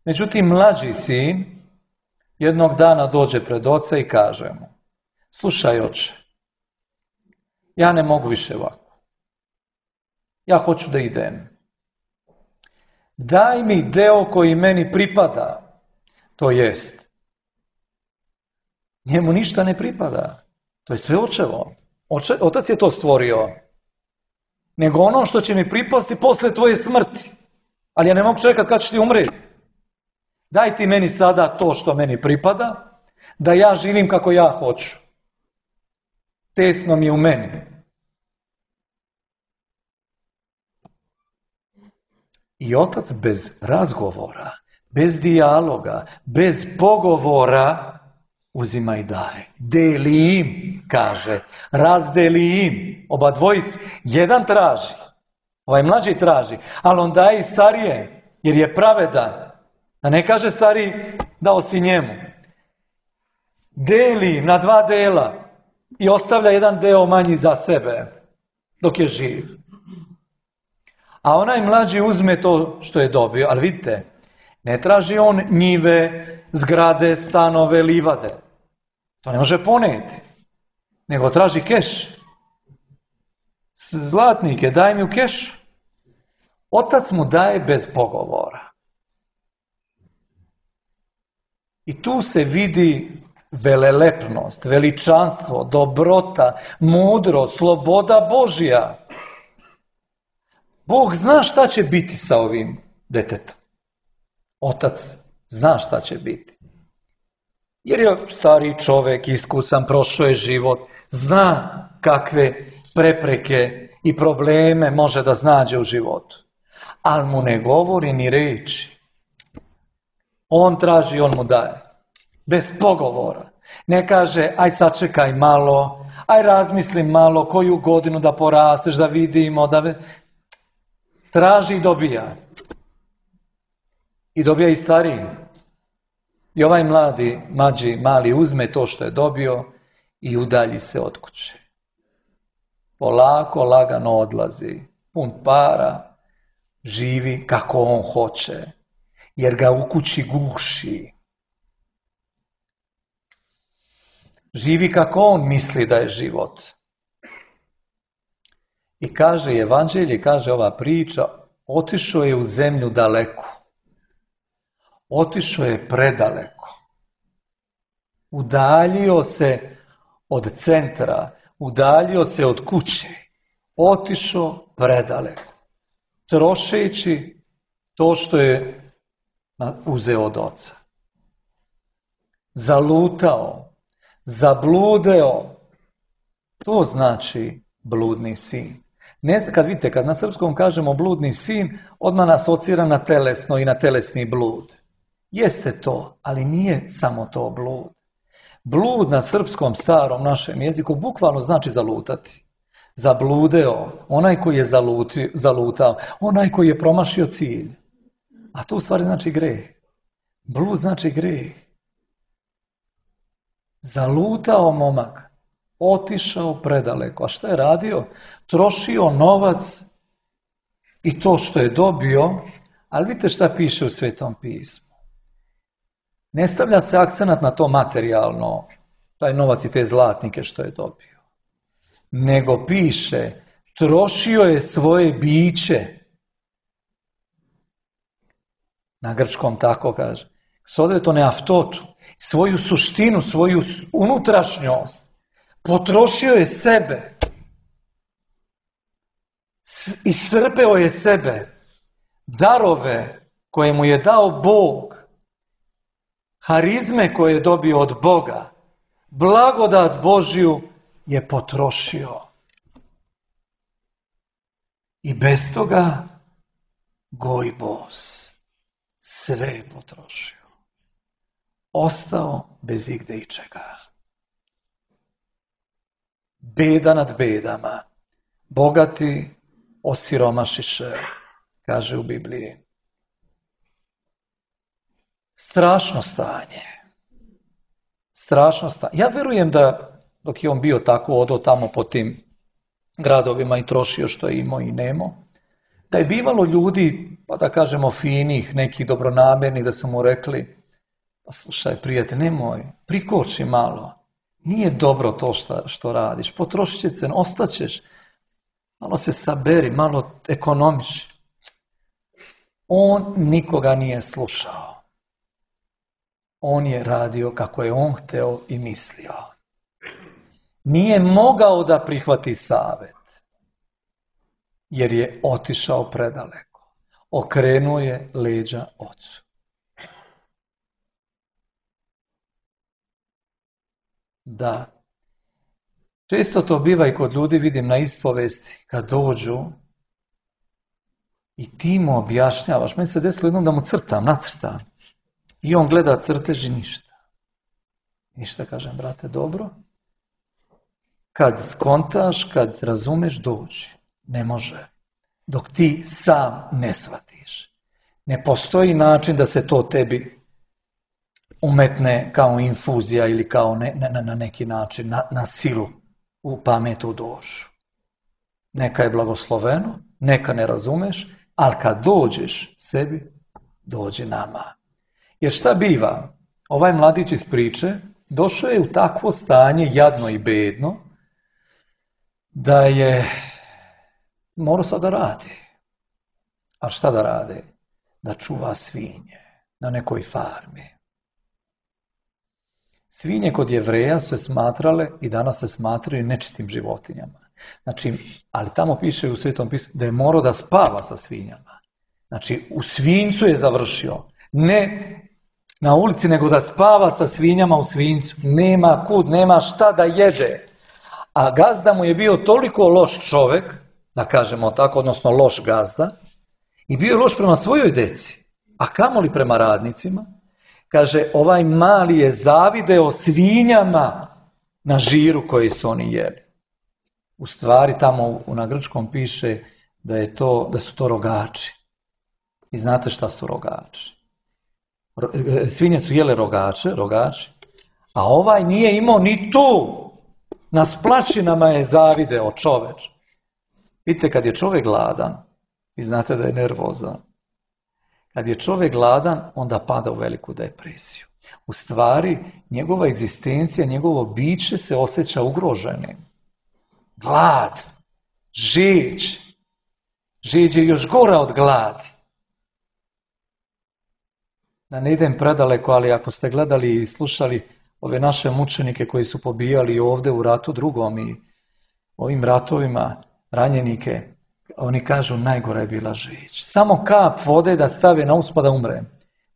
Međutim, mlađi sin jednog dana dođe pred oca i kaže mu: slušaj, oče, ja ne mogu više ovako. Ja hoću da idem. Daj mi deo koji meni pripada. To jest, njemu ništa ne pripada. To je sve očevo. Oče, otac je to stvorio. Nego ono što će mi pripasti posle tvoje smrti. Ali ja ne mogu čekati kad ćeš ti umreti. Daj ti meni sada to što meni pripada, da ja živim kako ja hoću. Tesno mi je u meni. I otac bez razgovora, bez dijaloga, bez pogovora uzima i daje. Deli im, kaže, razdeli im, oba dvojici. Jedan traži, ovaj mlađi traži, ali on daje i starije, jer je pravedan. Da ne kaže stariji, dao si njemu. Deli na dva dela i ostavlja jedan deo manji za sebe, dok je živ. A onaj mlađi uzme to što je dobio, ali vidite, ne traži on njive, zgrade, stanove, livade. To ne može poneti, nego traži keš. Zlatnike, daj mi u kešu. Otac mu daje bez pogovora. I tu se vidi velelepnost, veličanstvo, dobrota, mudrost, sloboda Božja. Bog zna šta će biti sa ovim detetom. Otac zna šta će biti. Jer je stariji čovjek, iskusan, prošao je život, zna kakve prepreke i probleme može da znađe u životu. Ali mu ne govori ni reči. On traži, on mu daje. Bez pogovora. Ne kaže, aj sačekaj malo, aj razmisli malo koju godinu da porasteš, da vidimo, da... Traži i dobija. I dobija i stariji. I ovaj mladi, mlađi, mali uzme to što je dobio i udalji se od kuće. Polako, lagano odlazi. Pun para, živi kako on hoće. Jer ga u kući guši. Živi kako on misli da je život. I kaže evanđelje, kaže ova priča, otišao je u zemlju daleku. Otišao je predaleko. Udaljio se od centra, udaljio se od kuće. Otišao predaleko. Trošeći to što je uzeo od oca. Zalutao, zabludeo. To znači bludni sin. Ne, kad vidite, kad na srpskom kažemo bludni sin, odmah nas asocira na telesno i na telesni blud. Jeste to, ali nije samo to blud. Blud na srpskom starom našem jeziku bukvalno znači zalutati. zabludeo, onaj koji je zaluti, zalutao, onaj koji je promašio cilj. A to u stvari znači greh. Blud znači greh. Zalutao momak, otišao predaleko. A šta je radio? Trošio novac i to što je dobio, ali vidite šta piše u Svetom pismu. Ne stavlja se akcenat na to materijalno, taj novac i te zlatnike što je dobio. Nego piše, trošio je svoje biće. Na grčkom tako kaže. Sodve to ne aftotu. Svoju suštinu, svoju unutrašnjost. Potrošio je sebe. Iscrpeo je sebe. Darove koje mu je dao Bog. Harizme koje je dobio od Boga. Blagodat Božju je potrošio. I bez toga goj bos. Sve je potrošio. Ostao bez igde i čega. Beda nad bedama. Bogati osiromašiše, kaže u Bibliji. Strašno stanje. Strašno stanje. Ja verujem da dok je on bio tako odo tamo po tim gradovima i trošio što je imao i nemao, da je bivalo ljudi, pa da kažemo finih, nekih dobronamernih, da su mu rekli, pa slušaj prijatelj, nemoj, prikoči malo, nije dobro to što, što radiš, potrošit će se, ostaćeš, malo se saberi, malo ekonomiši. On nikoga nije slušao. On je radio kako je on hteo i mislio. Nije mogao da prihvati savjet, jer je otišao predaleko. Okrenuo je leđa ocu. Da. Često to biva i kod ljudi, vidim na ispovesti, kad dođu i ti mu objašnjavaš. Meni se desilo jednom da mu crtam, nacrtam. I on gleda crtež i ništa. Ništa, kažem, brate, dobro. Kad skontaš, kad razumeš, dođi. Ne može. Dok ti sam ne shvatiš. Ne postoji način da se to tebi umetne kao infuzija ili kao ne, ne, na neki način, na, na silu u pametu dušu. Neka je blagosloveno, neka ne razumeš, ali kad dođeš sebi, dođi nama. Jer šta biva? Ovaj mladić iz priče došao je u takvo stanje, jadno i bedno, da je morao sad da radi. A šta da radi? Da čuva svinje na nekoj farmi. Svinje kod Jevreja su se smatrale i danas se smatraju nečistim životinjama. Znači, ali tamo piše u Svetom pismu da je morao da spava sa svinjama. Znači, u svinjcu je završio. Ne na ulici, nego da spava sa svinjama u svinjcu. Nema kud, nema šta da jede. A gazda mu je bio toliko loš čovek, da kažemo tako, odnosno loš gazda, i bio je loš prema svojoj deci, a kamoli prema radnicima. Kaže, ovaj mali je zavideo svinjama na žiru koji su oni jeli. U stvari tamo na grčkom piše da, je to, da su to rogači. I znate šta su rogači? Svinje su jele rogače, rogači, a ovaj nije imao ni tu. Na splačinama je zavideo čoveč. Vidite, kad je čovjek gladan, vi znate da je nervozan, kad je čovjek gladan, onda pada u veliku depresiju. U stvari, njegova egzistencija, njegovo biće se osjeća ugroženim. Glad, žeđ. Žeđ je još gora od gladi. Da ne idem predaleko, ali ako ste gledali i slušali ove naše mučenike koji su pobijali ovdje u ratu drugom i ovim ratovima ranjenike, oni kažu najgora je bila žeđ. Samo kap vode da stave na usta da umre.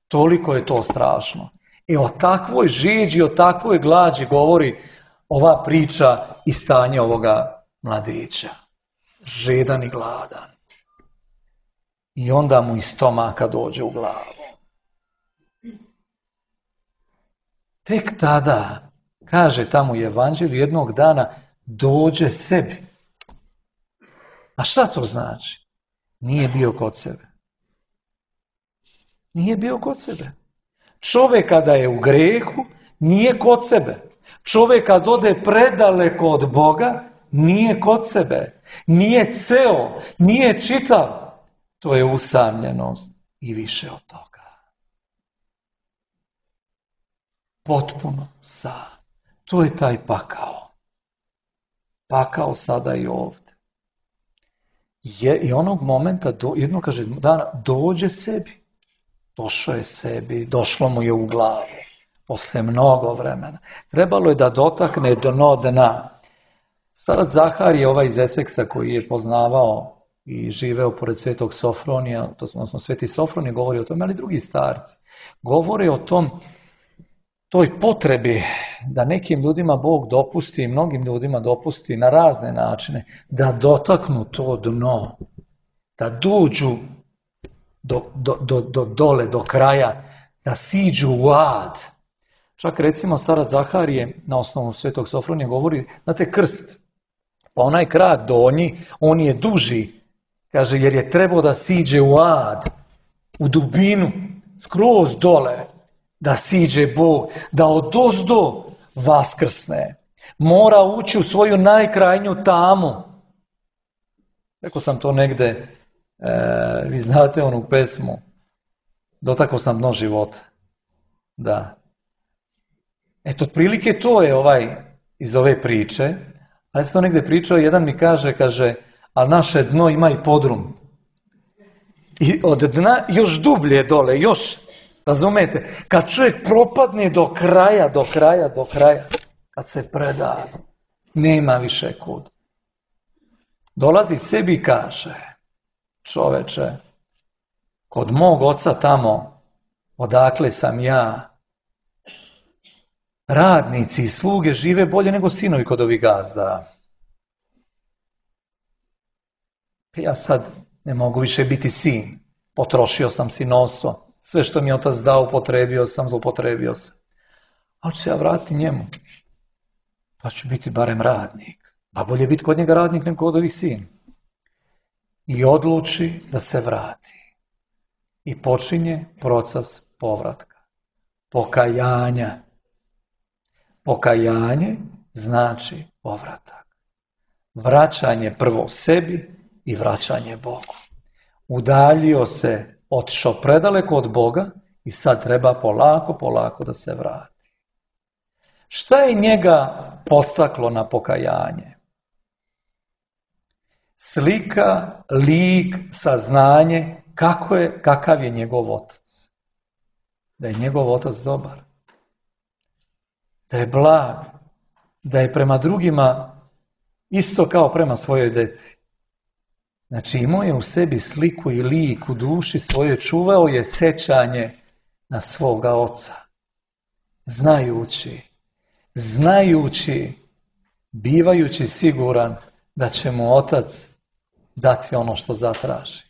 Toliko je to strašno. I o takvoj žeđi, o takvoj glađi govori ova priča i stanje ovoga mladića. Žedan i gladan. I onda mu iz stomaka dođe u glavu. Tek tada, kaže tamo u Evanđelju, jednog dana dođe sebi. A šta to znači? Nije bio kod sebe. Nije bio kod sebe. Čovjek kada je u grehu, nije kod sebe. Čovjek kad ode predaleko od Boga, nije kod sebe. Nije ceo, nije čitav. To je usamljenost i više od toga. Potpuno sam. To je taj pakao. Pakao sada i ovdje. Je, I onog momenta, do, jedno kaže dana, dođe sebi. Došao je sebi, došlo mu je u glavu. Posle mnogo vremena. Trebalo je da dotakne dno dna. Starac Zaharije, ovaj iz Eseksa koji je poznavao i živeo pored Svetog Sofronija, odnosno Sveti Sofronije govori o tome, ali drugi starci govore o tom, toj potrebi da nekim ljudima Bog dopusti, mnogim ljudima dopusti na razne načine, da dotaknu to dno, da dođu do, do, do, do dole, do kraja, da siđu u ad. Čak recimo starac Zaharije na osnovu Svetog Sofronija govori, znate, krst, pa onaj krak donji, on je duži, kaže, jer je trebao da siđe u ad, u dubinu, skroz dole, da siđe Bog, da odozdo vaskrsne. Mora ući u svoju najkrajnju tamu. Rekao sam to negde, e, vi znate onu pesmu, dotakao sam dno života. Da. Eto, otprilike to je ovaj iz ove priče, ali sam to negde pričao, jedan mi kaže, kaže, ali naše dno ima i podrum. I od dna još dublje dole, još, razumete, kad čovjek propadne do kraja, do kraja, do kraja, kad se preda, nema više kud. Dolazi sebi i kaže, čoveče, kod mog oca tamo, odakle sam ja, radnici i sluge žive bolje nego sinovi kod ovih gazda. Ja sad ne mogu više biti sin. Potrošio sam sinovstvo. Sve što mi je otac dao, upotrebio sam, zloupotrebio sam. Ali ću se ja vratiti njemu. Pa ću biti barem radnik. Pa bolje biti kod njega radnik nego kod ovih sin. I odluči da se vrati. I počinje proces povratka. Pokajanja. Pokajanje znači povratak. Vraćanje prvo sebi i vraćanje Bogu. Udaljio se, otišao predaleko od Boga i sad treba polako, polako da se vrati. Šta je njega podstaklo na pokajanje? Slika, lik, saznanje, kako je, kakav je njegov otac. Da je njegov otac dobar. Da je blag, da je prema drugima isto kao prema svojoj deci. Znači imao je u sebi sliku i lik u duši svoje, čuvao je sećanje na svoga oca. Znajući, znajući, bivajući siguran da će mu otac dati ono što zatraži.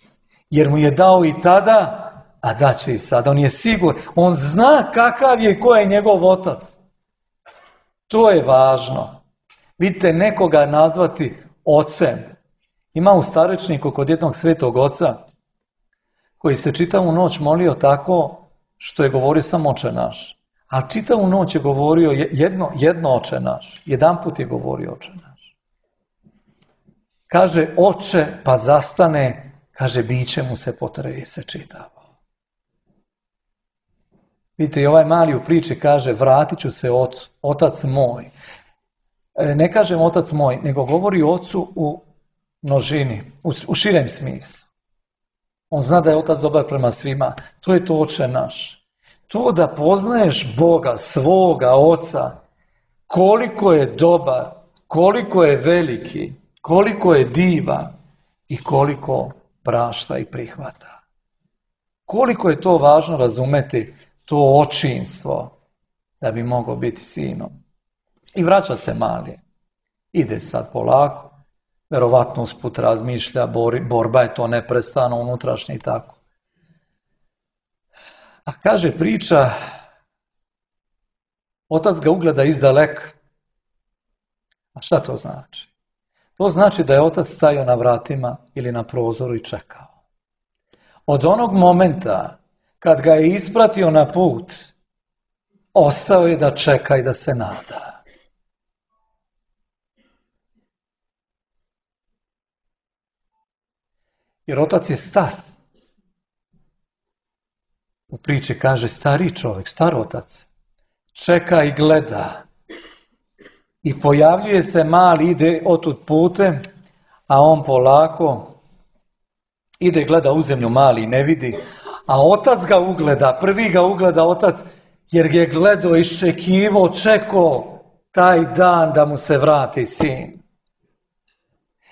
Jer mu je dao i tada, a daće i sada. On je siguran, on zna kakav je, ko je njegov otac. To je važno. Vidite, nekoga nazvati ocem. Ima u starečniku kod jednog svetog oca koji se čitavu noć molio tako što je govorio samo oče naš. Ali čitavu noć je govorio jedno, jedno oče naš. Jedan put je govorio oče naš. Kaže oče, pa zastane, kaže biće mu se potrese čitavo. Vidite, i ovaj mali u priči kaže, vratit ću se ot, otac moj. E, ne kažem otac moj, nego govori ocu u množini, u, u širem smislu. On zna da je otac dobar prema svima. To je to oče naš. To da poznaješ Boga, svoga oca, koliko je dobar, koliko je veliki, koliko je divan i koliko prašta i prihvata. Koliko je to važno razumeti, to očinstvo, da bi mogao biti sinom. I vraća se mali. Ide sad polako, verovatno usput razmišlja, bor, borba je to neprestano, unutrašnje i tako. A kaže priča, otac ga ugleda izdaleka. A šta to znači? To znači da je otac stajao na vratima ili na prozoru i čekao. Od onog momenta kad ga je ispratio na put, ostao je da čeka i da se nada. Jer otac je star. U priči kaže stari čovjek, star otac. Čeka i gleda. I pojavljuje se mali, ide otud putem, a on polako ide, gleda u zemlju, mali ne vidi, a otac ga ugleda, prvi ga ugleda otac, jer je gledao, iščekivo, čekao taj dan da mu se vrati sin.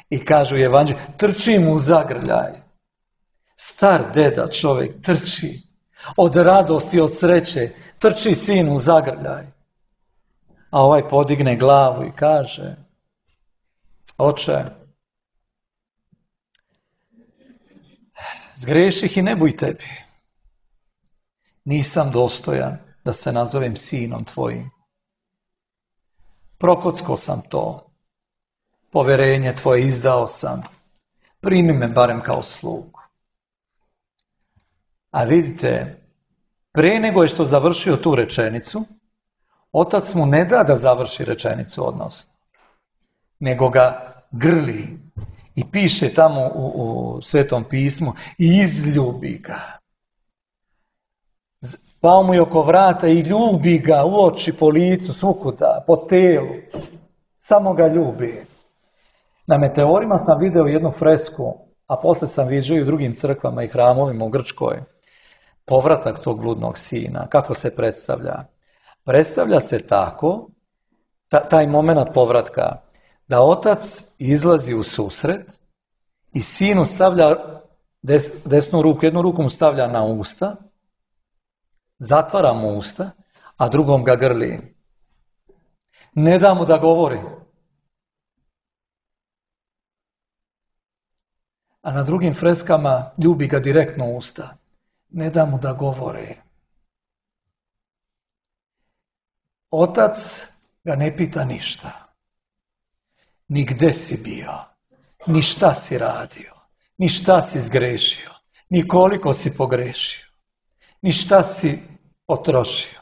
I kažu u Evanđelju, trči mu u zagrljaj. Star deda čovjek trči, od radosti, od sreće, trči sin u zagrljaj. A ovaj podigne glavu i kaže, oče, zgreših i ne buj tebi. Nisam dostojan da se nazovem sinom tvojim. Prokocko sam to. Poverenje tvoje izdao sam. Primi me barem kao slugu. A vidite, pre nego je što završio tu rečenicu, otac mu ne da da završi rečenicu odnosno, nego ga grli i piše tamo u, u Svetom pismu i izljubi ga. Pao mu je oko vrata i ljubi ga u oči, po licu, svukuda, po telu. Samo ga ljubi. Na Meteorima sam video jednu fresku, a posle sam viđao i u drugim crkvama i hramovima u Grčkoj. Povratak tog bludnog sina, kako se predstavlja? Predstavlja se tako, ta, taj moment povratka, da otac izlazi u susret i sinu stavlja des, desnu ruku, jednu ruku mu stavlja na usta, zatvara mu usta, a drugom ga grli. Ne da mu da govori. A na drugim freskama ljubi ga direktno u usta. Ne da mu da govori. Otac ga ne pita ništa. Ni gde si bio, ni šta si radio, ni šta si zgrešio, ni koliko si pogrešio, ni šta si potrošio,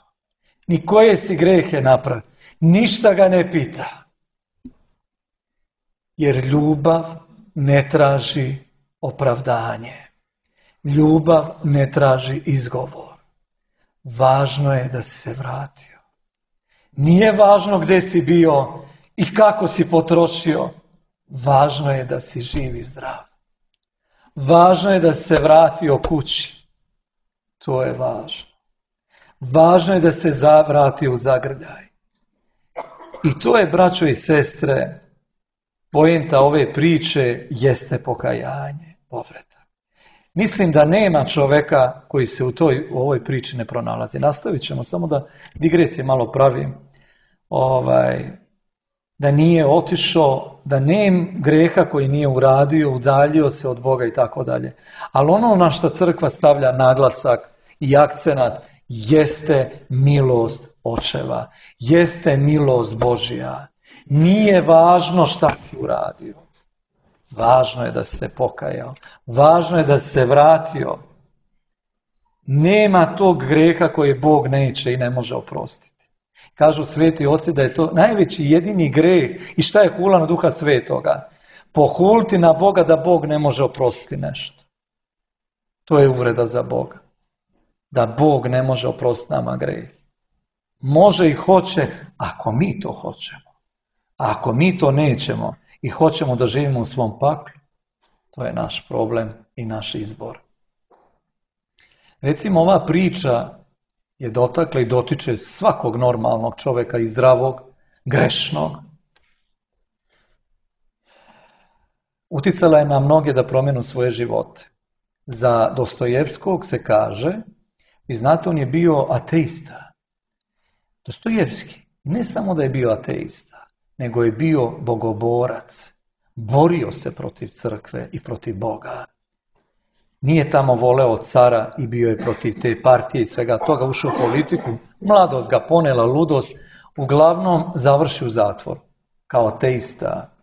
ni koje si grehe napravio. Ništa ga ne pita. Jer ljubav ne traži opravdanje. Ljubav ne traži izgovor. Važno je da si se vratio. Nije važno gde si bio i kako si potrošio. Važno je da si živ i zdrav. Važno je da si se vratio kući. To je važno. Važno je da se vrati u zagrljaj. I to je, braćo i sestre, poenta ove priče jeste pokajanje, povratak. Mislim da nema čoveka koji se u, toj, u ovoj priči ne pronalazi. Nastavit ćemo, samo da digresije malo pravim. Ovaj, da nije otišao, da nema greha koji nije uradio, udaljio se od Boga i tako dalje. Ali ono na što crkva stavlja naglasak i akcenat jeste milost očeva, jeste milost Božja. Nije važno šta si uradio. Važno je da si se pokajao. Važno je da si se vratio. Nema tog greha koji Bog neće i ne može oprostiti. Kažu sveti oci da je to najveći jedini greh. I šta je hula na Duha Svetoga? Pohuliti na Boga da Bog ne može oprostiti nešto. To je uvreda za Boga. Da Bog ne može oprostiti nama greh. Može i hoće ako mi to hoćemo. A ako mi to nećemo i hoćemo da živimo u svom paklu, to je naš problem i naš izbor. Recimo, ova priča je dotakla i dotiče svakog normalnog čovjeka i zdravog, grešnog. Uticala je na mnoge da promenu svoje živote. Za Dostojevskog se kaže, i znate, on je bio ateista. Dostojevski, ne samo da je bio ateista, nego je bio bogoborac. Borio se protiv crkve i protiv Boga. Nije tamo voleo cara i bio je protiv te partije i svega toga, ušao u politiku, mladost ga ponela, ludost, uglavnom završi u zatvoru kao ateista.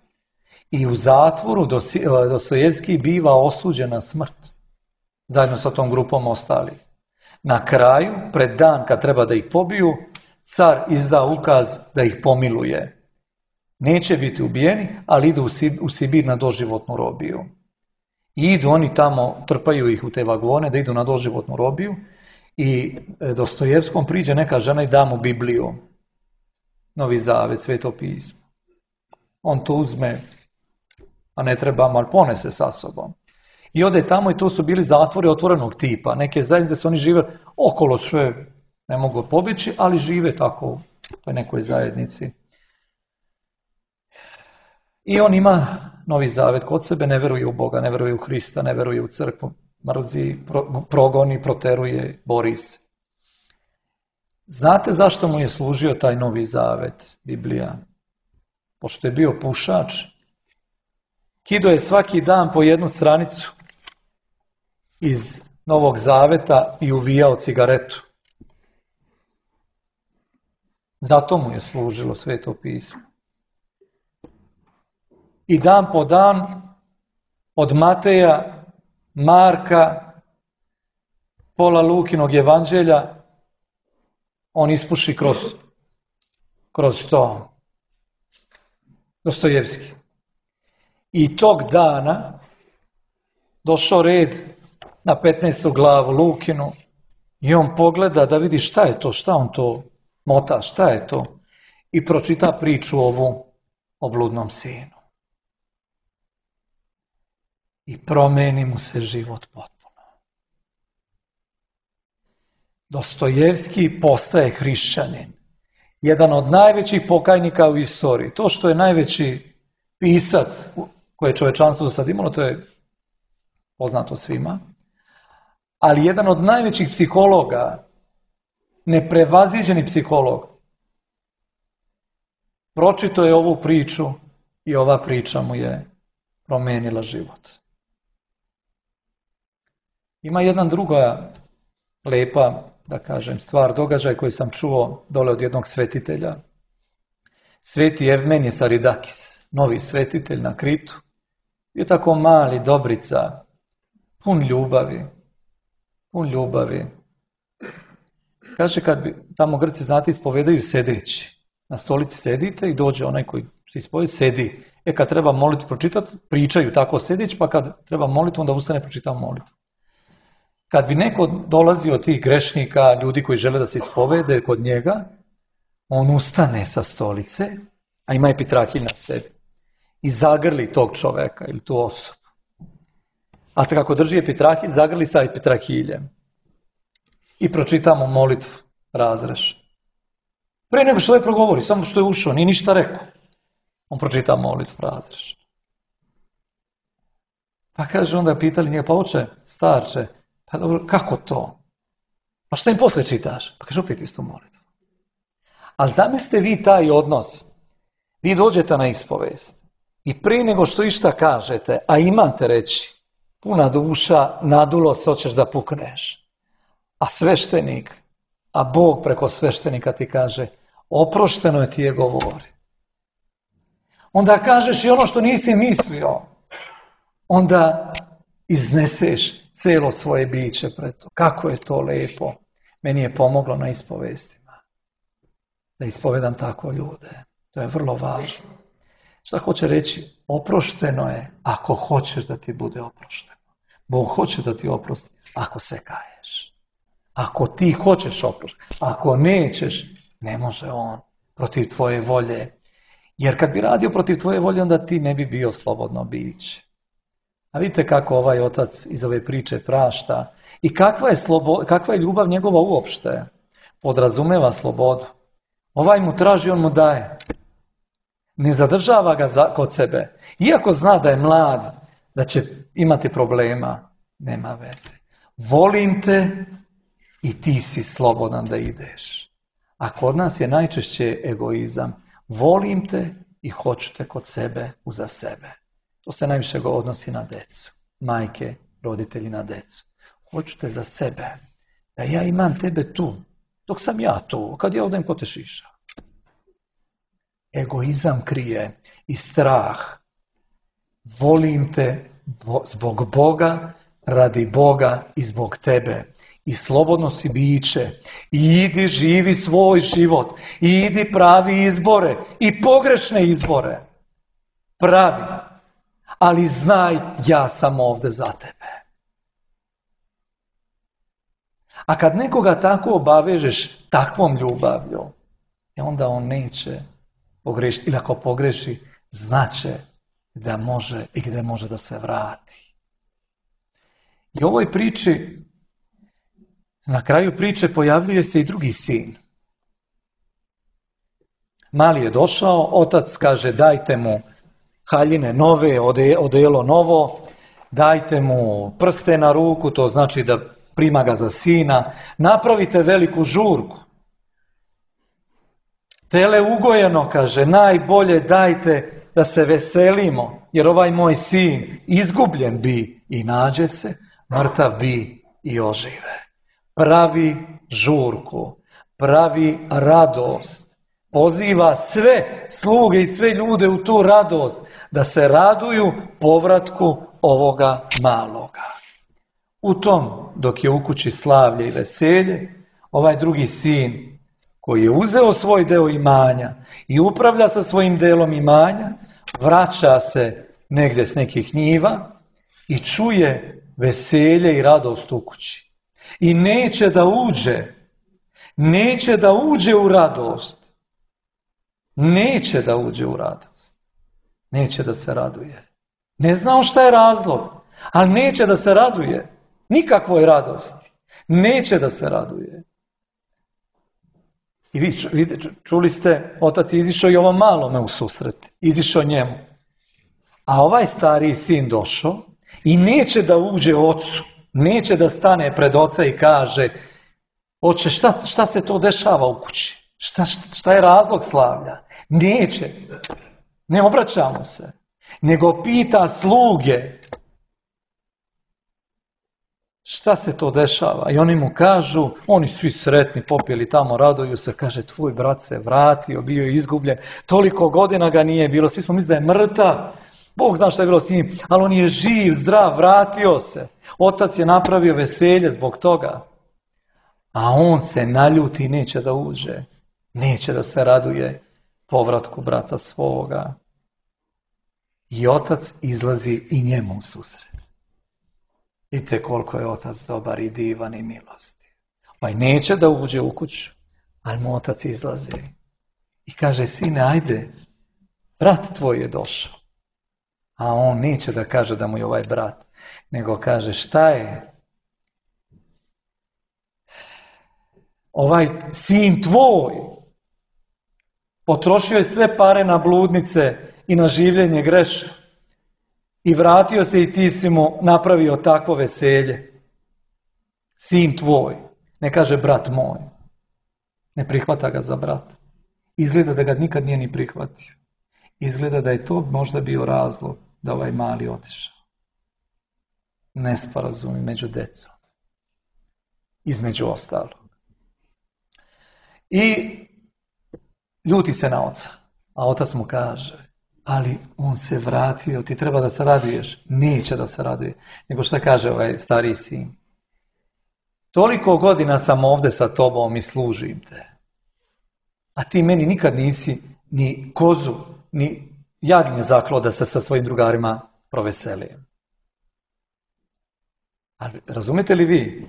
I u zatvoru Dostojevski biva osuđen na smrt, zajedno sa tom grupom ostalih. Na kraju, pred dan kad treba da ih pobiju, car izda ukaz da ih pomiluje. Neće biti ubijeni, ali idu u Sibir na doživotnu robiju. I idu oni tamo, trpaju ih u te vagone da idu na doživotnu robiju i Dostojevskom priđe neka žena i da mu Bibliju, Novi Zavet, Sveto pismo. On to uzme, a ne treba, ali ponese sa sobom. I ode tamo i to su bili zatvori otvorenog tipa. Neke zajednice su oni žive okolo sve, ne mogu pobjeći, ali žive tako u toj nekoj zajednici. I on ima Novi Zavet kod sebe, ne veruje u Boga, ne veruje u Hrista, ne veruje u crkvu, mrzi, pro, progoni, proteruje, bori se. Znate zašto mu je služio taj Novi Zavet, Biblija? Pošto je bio pušač, kido je svaki dan po jednu stranicu iz Novog Zaveta i uvijao cigaretu. Zato mu je služilo Sveto pismo. I dan po dan od Mateja, Marka, pola Lukinog evanđelja on ispuši kroz, kroz to. Dostojevski. I tog dana došao red na petnaestu glavu Lukinu i on pogleda da vidi šta je to, šta on to mota, šta je to. I pročita priču ovu o bludnom sinu. I promeni mu se život potpuno. Dostojevski postaje hrišćanin. Jedan od najvećih pokajnika u istoriji. To što je najveći pisac koje je čovečanstvo do sad imalo, to je poznato svima. Ali jedan od najvećih psihologa, neprevaziđeni psiholog, pročito je ovu priču i ova priča mu je promenila život. Ima jedna druga lepa, da kažem, stvar, događaj koji sam čuo dole od jednog svetitelja. Sveti Evmenije Saridakis, novi svetitelj na Kritu, je tako mali, dobrica, pun ljubavi, pun ljubavi. Kaže, kad bi, tamo Grci, znate, ispovedaju sedeći. Na stolici sedite i dođe onaj koji se ispovedi, sedi. E, kad treba molitvu pročitati, pričaju tako sedeći, pa kad treba molitvu, onda ustane, pročitamo molitvu. Kad bi neko dolazio od tih grešnika, ljudi koji žele da se ispovede kod njega, on ustane sa stolice, a ima epitrahilj na sebi, i zagrli tog čoveka ili tu osobu. A kako drži epitrahilj, zagrli sa epitrahiljem. I pročitamo molitvu, razreš. Pre nego što ovaj progovori, samo što je ušao, nije ništa rekao. On pročita molitvu, razreš. Pa kaže, onda pitali njega, pa oče, starče, pa dobro, kako to? Pa šta im posle čitaš? Pa kaže, opet istu molitvu. Ali zamislite vi taj odnos. Vi dođete na ispovest i prije nego što išta kažete, a imate reći, puna duša, nadulo se, hoćeš da pukneš. A sveštenik, a Bog preko sveštenika ti kaže, oprošteno je ti je govori. Onda kažeš i ono što nisi mislio. Onda izneseš celo svoje biće pred to. Kako je to lepo. Meni je pomoglo na ispovestima. Da ispovedam tako ljude. To je vrlo važno. Šta hoće reći? Oprošteno je ako hoćeš da ti bude oprošteno. Bog hoće da ti oprosti ako se kaješ. Ako ti hoćeš oproštiti. Ako nećeš, ne može on protiv tvoje volje. Jer kad bi radio protiv tvoje volje, onda ti ne bi bio slobodno biće. A vidite kako ovaj otac iz ove priče prašta i kakva je, slobo, kakva je ljubav njegova uopšte. Podrazumeva slobodu. Ovaj mu traži, on mu daje. Ne zadržava ga za, kod sebe. Iako zna da je mlad, da će imati problema, nema veze. Volim te i ti si slobodan da ideš. A kod nas je najčešće egoizam. Volim te i hoću te kod sebe, uza sebe. To se najviše go odnosi na decu. Majke, roditelji na decu. Hoću te za sebe. Da ja imam tebe tu. Dok sam ja tu. Kad ja odem, ko te šiša. Egoizam krije i strah. volim te zbog Boga, radi Boga i zbog tebe. I slobodno si biće. I idi živi svoj život. I idi pravi izbore. I pogrešne izbore. Pravi. Ali znaj, ja sam ovdje za tebe. A kad nekoga tako obavežeš takvom ljubavlju, onda on neće pogrešiti. Ili ako pogreši, znaće da može i gdje može da se vrati. I u ovoj priči, na kraju priče pojavljuje se i drugi sin. Mali je došao, otac kaže dajte mu haljine nove, odelo novo, dajte mu prste na ruku, to znači da prima ga za sina, napravite veliku žurku. Tele ugojeno, kaže, najbolje dajte da se veselimo, jer ovaj moj sin izgubljen bi i nađe se, mrtav bi i ožive. Pravi žurku, pravi radost. Poziva sve sluge i sve ljude u tu radost, da se raduju povratku ovoga maloga. U tom, dok je u kući slavlje i veselje, ovaj drugi sin, koji je uzeo svoj deo imanja i upravlja sa svojim delom imanja, vraća se negdje s nekih njiva i čuje veselje i radost u kući. I neće da uđe, neće da uđe u radost. Neće da uđe u radost. Neće da se raduje. Ne znao šta je razlog, ali neće da se raduje. Nikakvoj radosti. Neće da se raduje. I vi čuli ste, otac je izišao i ovom malome u susret. Izišao njemu. A ovaj stariji sin došao i neće da uđe ocu. Neće da stane pred oca i kaže, oče, šta, šta se to dešava u kući? Šta, šta, šta je razlog slavlja? Neće. Ne obraćamo se. Nego pita sluge. Šta se to dešava? I oni mu kažu, oni svi sretni, popili tamo, raduju se, kaže, tvoj brat se vratio, bio je izgubljen, toliko godina ga nije bilo, svi smo mislili da je mrtav, Bog zna šta je bilo s njim, ali on je živ, zdrav, vratio se. Otac je napravio veselje zbog toga. A on se naljuti i neće da uđe, neće da se raduje povratku brata svoga. I otac izlazi i njemu u susret. Vidite koliko je otac dobar i divan i milosti. Pa i neće da uđe u kuću, ali mu otac izlazi. I kaže, sine, ajde, brat tvoj je došao. A on neće da kaže da mu je ovaj brat, nego kaže, šta je? Ovaj sin tvoj potrošio je sve pare na bludnice i na življenje grešno. I vratio se i ti si mu napravio takvo veselje. Sin tvoj. Ne kaže brat moj. Ne prihvata ga za brat. Izgleda da ga nikad nije ni prihvatio. Izgleda da je to možda bio razlog da ovaj mali otišao. Nesporazumi među decom. Između ostalog. I ljuti se na oca. A otac mu kaže, ali on se vratio, ti treba da se raduješ. Neće da se raduje. Nego šta kaže ovaj stariji sin? Toliko godina sam ovdje sa tobom i služim te. A ti meni nikad nisi ni kozu, ni jagnje zaklo da se sa svojim drugarima proveselim. Ali razumete li vi?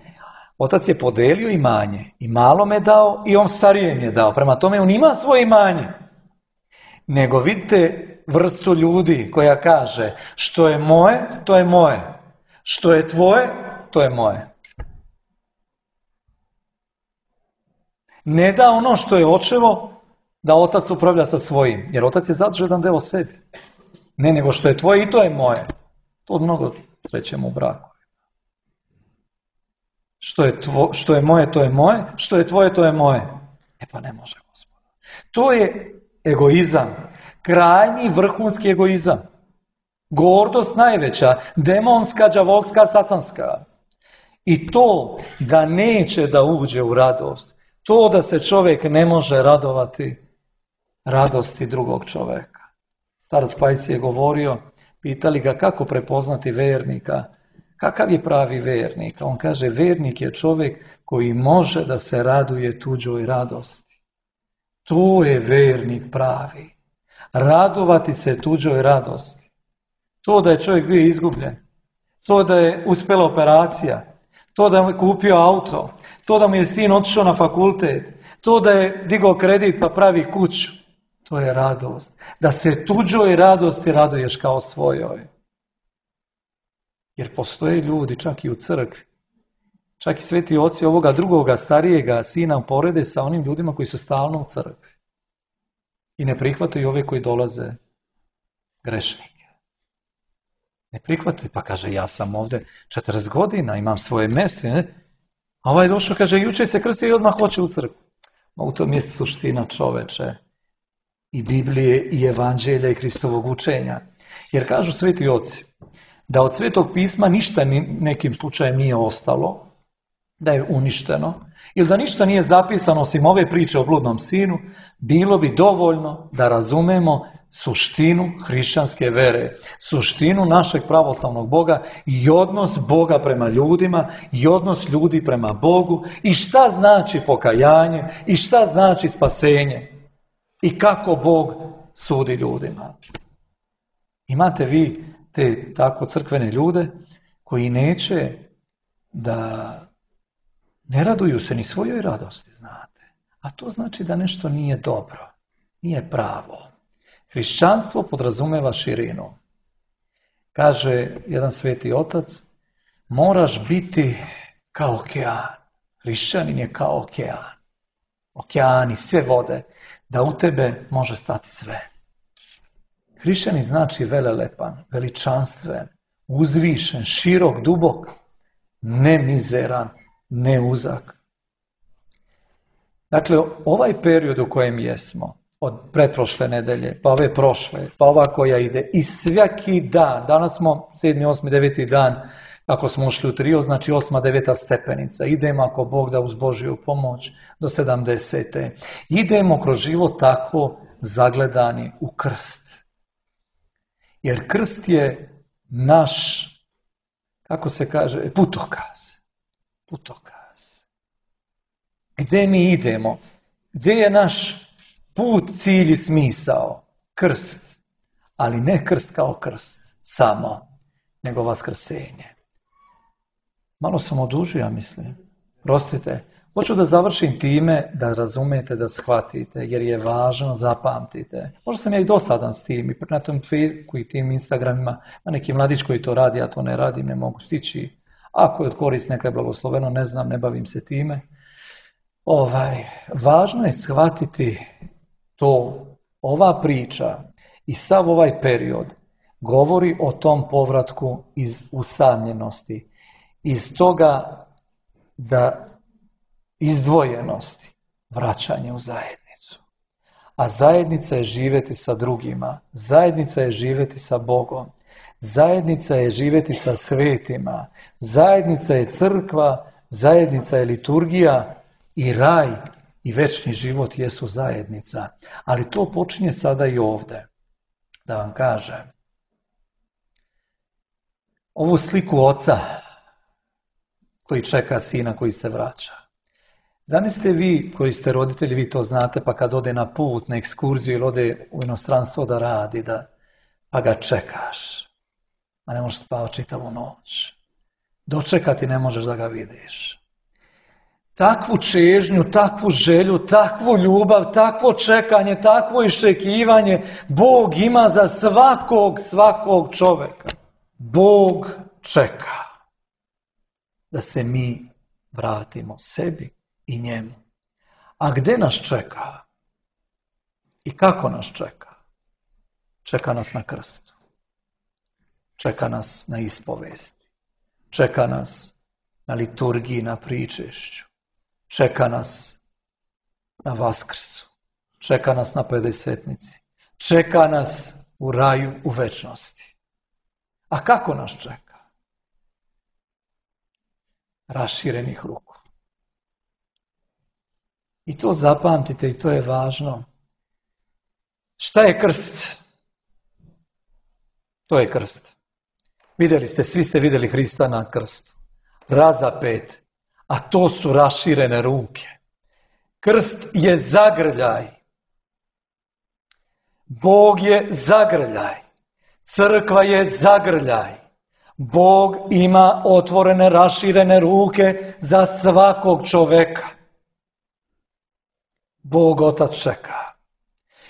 Otac je podelio imanje i malo me dao i on starijem je dao. Prema tome on ima svoje imanje. Nego vidite vrstu ljudi koja kaže što je moje, to je moje. Što je tvoje, to je moje. Ne da ono što je očevo, da otac upravlja sa svojim. Jer otac je zadržao jedan deo sebi. Ne, nego što je tvoje i to je moje. To mnogo srećemo u braku. Što je, tvo, što je moje, to je moje. Što je tvoje, to je moje. E pa ne može, Gospod. To je egoizam. Krajnji vrhunski egoizam. Gordost najveća. Demonska, đavolska, satanska. I to da neće da uđe u radost. To da se čovjek ne može radovati radosti drugog čovjeka. Starac Pajsi je govorio, Pitali ga kako prepoznati vernika, kakav je pravi vernik. A on kaže, vernik je čovjek koji može da se raduje tuđoj radosti. To je vernik pravi. Radovati se tuđoj radosti. To da je čovjek bio izgubljen, to da je uspjela operacija, to da je kupio auto, to da mu je sin otišao na fakultet, to da je digao kredit pa pravi kuću, to je radost. Da se tuđoj radosti raduješ kao svojoj. Jer postoje ljudi, čak i u crkvi, čak i sveti oci ovoga drugoga starijega sina uporede sa onim ljudima koji su stalno u crkvi. I ne prihvataju ove koji dolaze grešnike. Ne prihvataju, pa kaže, ja sam ovdje četrdeset godina, imam svoje mjesto. Ne? A ovaj došao, kaže, juče se krstio i odmah hoće u crkvu. Ma u tom je suština čoveče i Biblije i Evanđelja i Hristovog učenja. Jer kažu sveti oci, da od Svetog pisma ništa nekim slučajem nije ostalo, da je uništeno, ili da ništa nije zapisano osim ove priče o bludnom sinu, bilo bi dovoljno da razumemo suštinu hrišćanske vere, suštinu našeg pravoslavnog Boga i odnos Boga prema ljudima i odnos ljudi prema Bogu i šta znači pokajanje i šta znači spasenje i kako Bog sudi ljudima. Imate vi te tako crkvene ljude koji neće da ne raduju se ni svojoj radosti, znate. A to znači da nešto nije dobro, nije pravo. Hrišćanstvo podrazumeva širinu. Kaže jedan sveti otac, moraš biti kao okean. Hrišćanin je kao okean. Okeani, sve vode, da u tebe može stati sve. Hrišćanin znači velelepan, veličanstven, uzvišen, širok, dubok, ne mizeran, ne uzak. Dakle, ovaj period u kojem jesmo, od pretprošle nedelje, pa ove prošle, pa ova koja ide, i svaki dan, danas smo sedmi, osmi, deveti dan, ako smo ušli u trio, znači osma, deveta stepenica. Idemo, ako Bog da, uz Božju pomoć, do sedamdesete. Idemo kroz život tako zagledani u krst. Jer krst je naš, kako se kaže, putokaz. Putokaz. Gde mi idemo? Gde je naš put, cilj i smisao? Krst. Ali ne krst kao krst, samo, nego vaskrsenje. Malo sam odužio, ja mislim. Prostite. Hoću da završim time da razumete, da shvatite, jer je važno, zapamtite. Možda sam ja i dosadan s tim, i na tom Facebooku i tim Instagramima, a neki mladić koji to radi, ja to ne radim, ne mogu stići. Ako je od korist, neka je blagosloveno, ne znam, ne bavim se time. Ovaj, važno je shvatiti to, ova priča i sav ovaj period govori o tom povratku iz usamljenosti, iz toga da izdvojenosti, vraćanje u zajednicu. A zajednica je živjeti sa drugima, zajednica je živjeti sa Bogom, zajednica je živjeti sa svetima, zajednica je crkva, zajednica je liturgija i raj i večni život jesu zajednica. Ali to počinje sada i ovdje. Da vam kažem, ovu sliku oca koji čeka sina koji se vraća. Zamislite vi koji ste roditelji, vi to znate, pa kad ode na put, na ekskurziju ili ode u inostranstvo da radi, da, pa ga čekaš. A ne možeš spavati čitavu noć. Dočekati ne možeš da ga vidiš. Takvu čežnju, takvu želju, takvu ljubav, takvo čekanje, takvo iščekivanje Bog ima za svakog, svakog čovjeka. Bog čeka da se mi vratimo sebi i njemu. A gdje nas čeka? I kako nas čeka? Čeka nas na krstu. Čeka nas na ispovesti. Čeka nas na liturgiji, na pričešću. Čeka nas na Vaskrsu. Čeka nas na pedesetnici. Čeka nas u raju, u večnosti. A kako nas čeka? Raširenih ruku. I to zapamtite i to je važno. Šta je krst? To je krst. Vidjeli ste, svi ste vidjeli Hrista na krstu. Razapet, a to su raširene ruke. Krst je zagrljaj. Bog je zagrljaj. Crkva je zagrljaj. Bog ima otvorene, raširene ruke za svakog čoveka. Bog Otac čeka.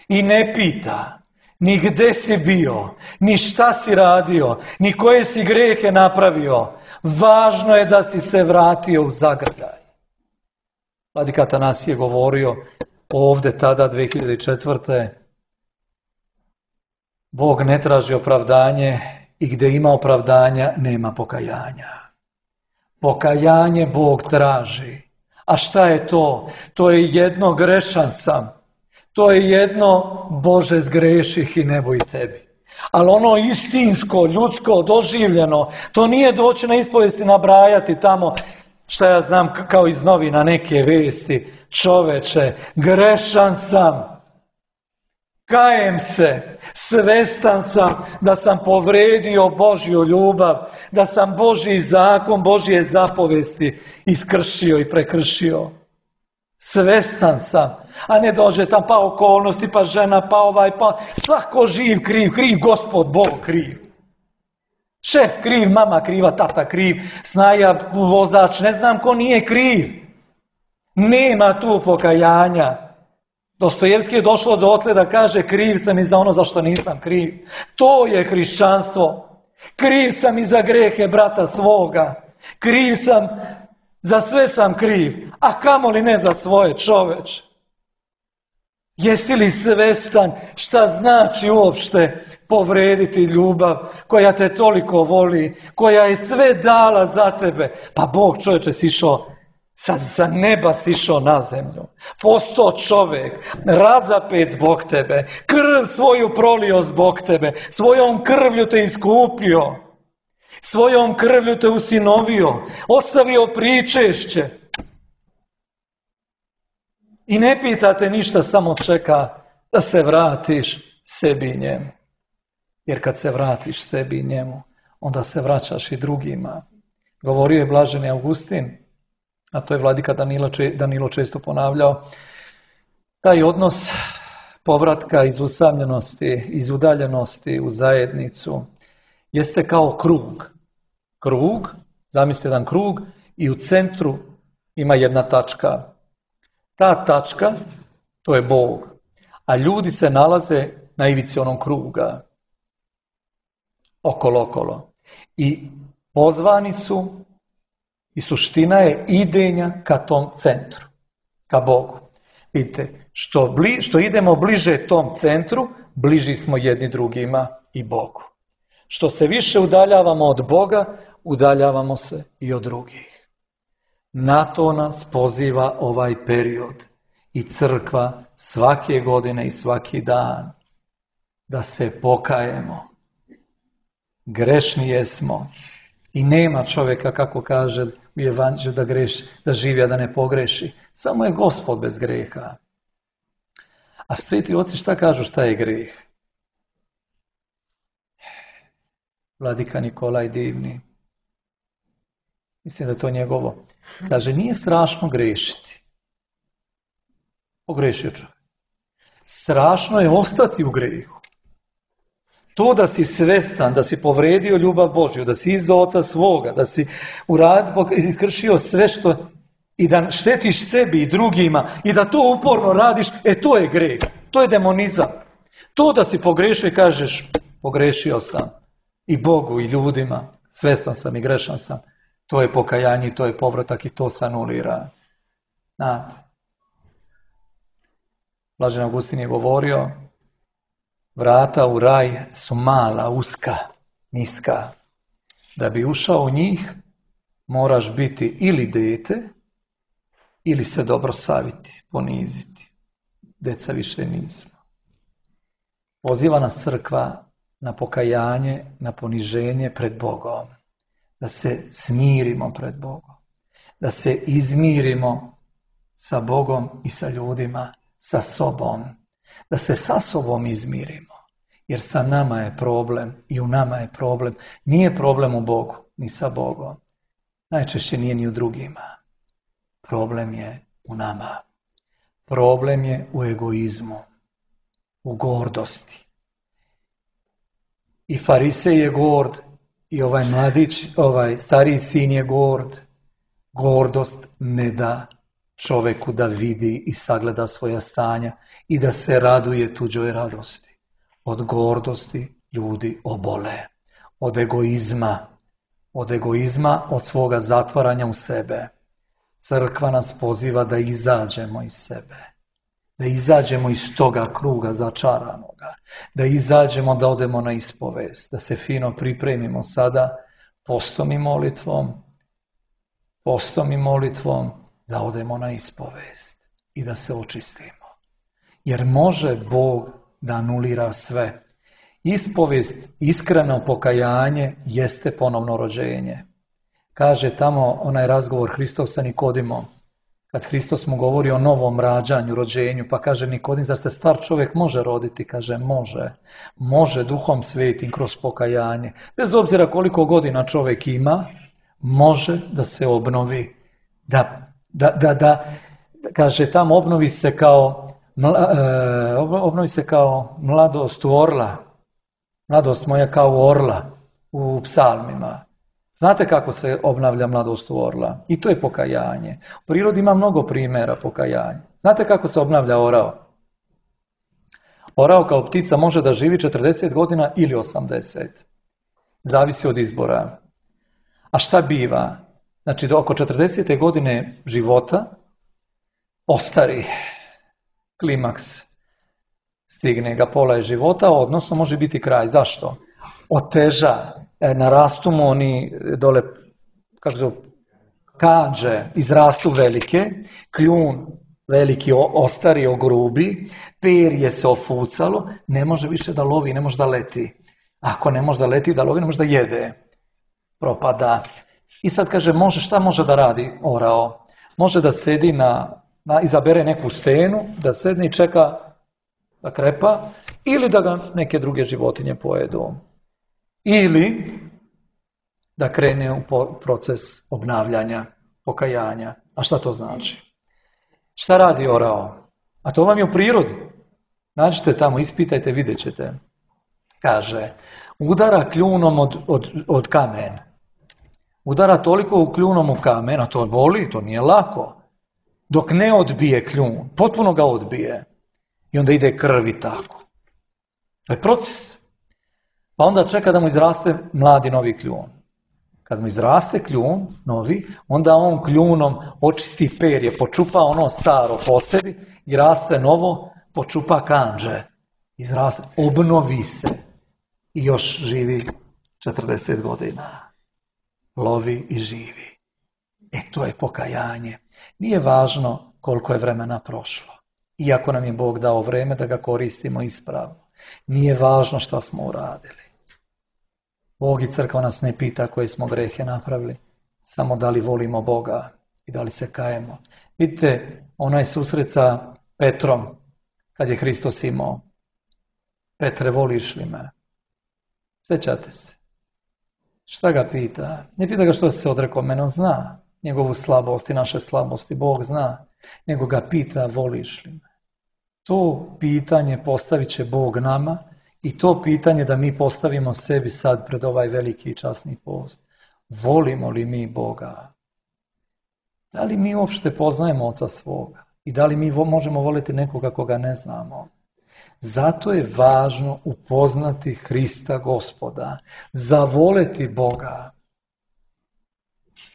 I ne pita ni gdje si bio, ni šta si radio, ni koje si grehe napravio. Važno je da si se vratio u zagrljaj. Vladika Atanasije je govorio ovdje tada dvije hiljade četvrte. Bog ne traži opravdanje i gdje ima opravdanja nema pokajanja. Pokajanje Bog traži. A šta je to? To je jedno grešan sam. To je jedno Bože zgreših i nebo i tebi. Ali ono istinsko, ljudsko, doživljeno, to nije doći na ispovijesti nabrajati tamo, šta ja znam, kao iz novina neke vesti. Čoveče, grešan sam. Kajem se, svestan sam da sam povredio Božju ljubav, da sam Božji zakon, Božje zapovesti iskršio i prekršio. Svestan sam, a ne dođe tam pa okolnosti, pa žena, pa ovaj, pa svako živ kriv, kriv Gospod Bog kriv. Šef kriv, mama kriva, tata kriv, snaja, vozač, ne znam ko nije kriv. Nema tu pokajanja. Dostojevski je došlo dotle da kaže kriv sam i za ono za što nisam kriv. To je hrišćanstvo. Kriv sam i za grehe brata svoga. Kriv sam, za sve sam kriv, a kamoli ne za svoje, čoveč. Jesi li svestan šta znači uopšte povrediti ljubav koja te toliko voli, koja je sve dala za tebe? Pa Bog, čovječe, sišao Sa, sa neba sišao na zemlju, postao čovjek, razapet zbog tebe, krv svoju prolio zbog tebe, svojom krvlju te iskupio, svojom krvlju te usinovio, ostavio pričešće. I ne pitate ništa, samo čeka da se vratiš sebi i njemu. Jer kad se vratiš sebi i njemu, onda se vraćaš i drugima. Govorio je blaženi Augustin, a to je vladika Danilo, Danilo često ponavljao, taj odnos povratka iz usamljenosti, iz udaljenosti u zajednicu, jeste kao krug. Krug, zamislite jedan krug i u centru ima jedna tačka. Ta tačka, to je Bog, a ljudi se nalaze na ivici onog kruga, okolo, okolo. I pozvani su, i suština je idenja ka tom centru, ka Bogu. Vidite, što, bli, što idemo bliže tom centru, bliži smo jedni drugima i Bogu. Što se više udaljavamo od Boga, udaljavamo se i od drugih. Na to nas poziva ovaj period i crkva svake godine i svaki dan, da se pokajemo. Grešni jesmo i nema čovjeka, kako kaže u Evanđelju, da greši, da živi, a da ne pogreši. Samo je Gospod bez greha. A sveti oci šta kažu, šta je greh? Vladika Nikolaj Divni, mislim da je to njegovo, kaže, nije strašno grešiti. Pogrešio čovjek. Strašno je ostati u grehu. To da si svestan, da si povredio ljubav Božju, da si izdao oca svoga, da si uradio, iskršio sve što, i da štetiš sebi i drugima i da to uporno radiš, e to je greh, to je demonizam. To da si pogrešio i kažeš, pogrešio sam i Bogu i ljudima, svestan sam i grešan sam, to je pokajanje, to je povratak i to se anulira. Znate. Blaženi Augustin je govorio, vrata u raj su mala, uska, niska. Da bi ušao u njih, moraš biti ili dete, ili se dobro saviti, poniziti. Deca više nismo. Poziva nas crkva na pokajanje, na poniženje pred Bogom. Da se smirimo pred Bogom. Da se izmirimo sa Bogom i sa ljudima, sa sobom. Da se sa sobom izmirimo. Jer sa nama je problem i u nama je problem. Nije problem u Bogu, ni sa Bogom. Najčešće nije ni u drugima. Problem je u nama. Problem je u egoizmu, u gordosti. I Farisej je gord, i ovaj mladić, ovaj stariji sin je gord. Gordost ne da čoveku da vidi i sagleda svoja stanja i da se raduje tuđoj radosti. Od gordosti ljudi obole. Od egoizma. Od egoizma, od svoga zatvaranja u sebe. Crkva nas poziva da izađemo iz sebe. Da izađemo iz toga kruga začaranoga. Da izađemo, da odemo na ispovest. Da se fino pripremimo sada postom i molitvom. Postom i molitvom da odemo na ispovest. I da se očistimo. Jer može Bog da anulira sve. Ispovest, iskreno pokajanje jeste ponovno rođenje. Kaže tamo onaj razgovor Hristov sa Nikodimom. Kad Hristos mu govori o novom rađanju, rođenju, pa kaže Nikodim, zar se star čovjek može roditi? Kaže može. Može Duhom Svetim kroz pokajanje. Bez obzira koliko godina čovjek ima, može da se obnovi. Da, da, da, da kaže tamo obnovi se kao, obnovi se kao mladost u orla. Mladost moja kao u orla u psalmima. Znate kako se obnavlja mladost u orla? I to je pokajanje. U prirodi ima mnogo primjera pokajanja. Znate kako se obnavlja orao? Orao kao ptica može da živi četrdeset godina ili osamdeset. Zavisi od izbora. A šta biva? Znači do oko četrdesete godine života ostari klimaks. Stigne ga pola je života, odnosno može biti kraj. Zašto? Oteža, narastu mu oni dole, kako zove, kanđe, izrastu velike, kljun veliki ostari, ogrubi, perje se ofucalo, ne može više da lovi, ne može da leti. Ako ne može da leti, da lovi, ne može da jede. Propada. I sad kaže, može, šta može da radi orao? Može da sedi na, na izabere neku stenu, da sedne i čeka da krepa, ili da ga neke druge životinje pojedu. Ili da krene u proces obnavljanja, pokajanja. A šta to znači? Šta radi orao? A to vam je u prirodi. Nađite tamo, ispitajte, vidjet ćete. Kaže, udara kljunom od, od, od kamen. Udara toliko u kljunom u kamen, a to boli, to nije lako. Dok ne odbije kljun, potpuno ga odbije. I onda ide krvi tako. To je proces. Pa onda čeka da mu izraste mladi novi kljun. Kad mu izraste kljun, novi, onda on kljunom očisti perje, počupa ono staro po sebi i raste novo, počupa kanđe. Izraste, obnovi se i još živi četrdeset godina. Lovi i živi. E, to je pokajanje. Nije važno koliko je vremena prošlo. Iako nam je Bog dao vreme da ga koristimo ispravno. Nije važno šta smo uradili. Bog i crkva nas ne pita koje smo grehe napravili, samo da li volimo Boga i da li se kajemo. Vidite, onaj susret sa Petrom, kad je Hristos imao. Petre, voliš li me? Sjećate se. Šta ga pita? Ne pita ga što se odrekao mene, on zna njegovu slabost i naše slabosti, Bog zna. Nego ga pita, voliš li me? To pitanje postavit će Bog nama i to pitanje da mi postavimo sebi sad pred ovaj veliki i časni post. Volimo li mi Boga? Da li mi uopšte poznajemo Oca svoga? I da li mi možemo voliti nekoga koga ne znamo? Zato je važno upoznati Hrista Gospoda, zavoleti Boga.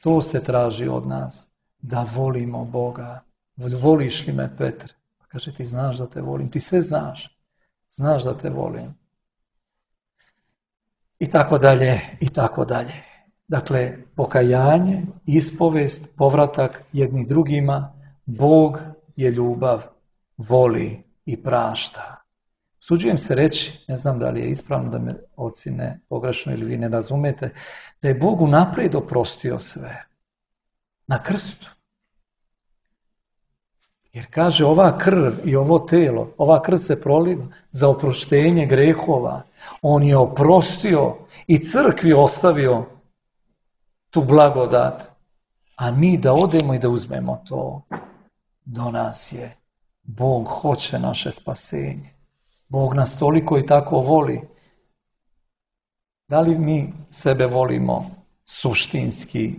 To se traži od nas, da volimo Boga. Voliš li me, Petre? Kaže, ti znaš da te volim, ti sve znaš. Znaš da te volim. I tako dalje, i tako dalje. Dakle, pokajanje, ispovest, povratak jedni drugima, Bog je ljubav, voli i prašta. Suđujem se reći, ne znam da li je ispravno da me ocine pogrešno ili vi ne razumete, da je Bog unaprijed oprostio sve. Na krstu. Jer kaže ova krv i ovo telo, ova krv se proliva za oproštenje grehova. On je oprostio i crkvi ostavio tu blagodat. A mi da odemo i da uzmemo to, do nas je. Bog hoće naše spasenje. Bog nas toliko i tako voli. Da li mi sebe volimo suštinski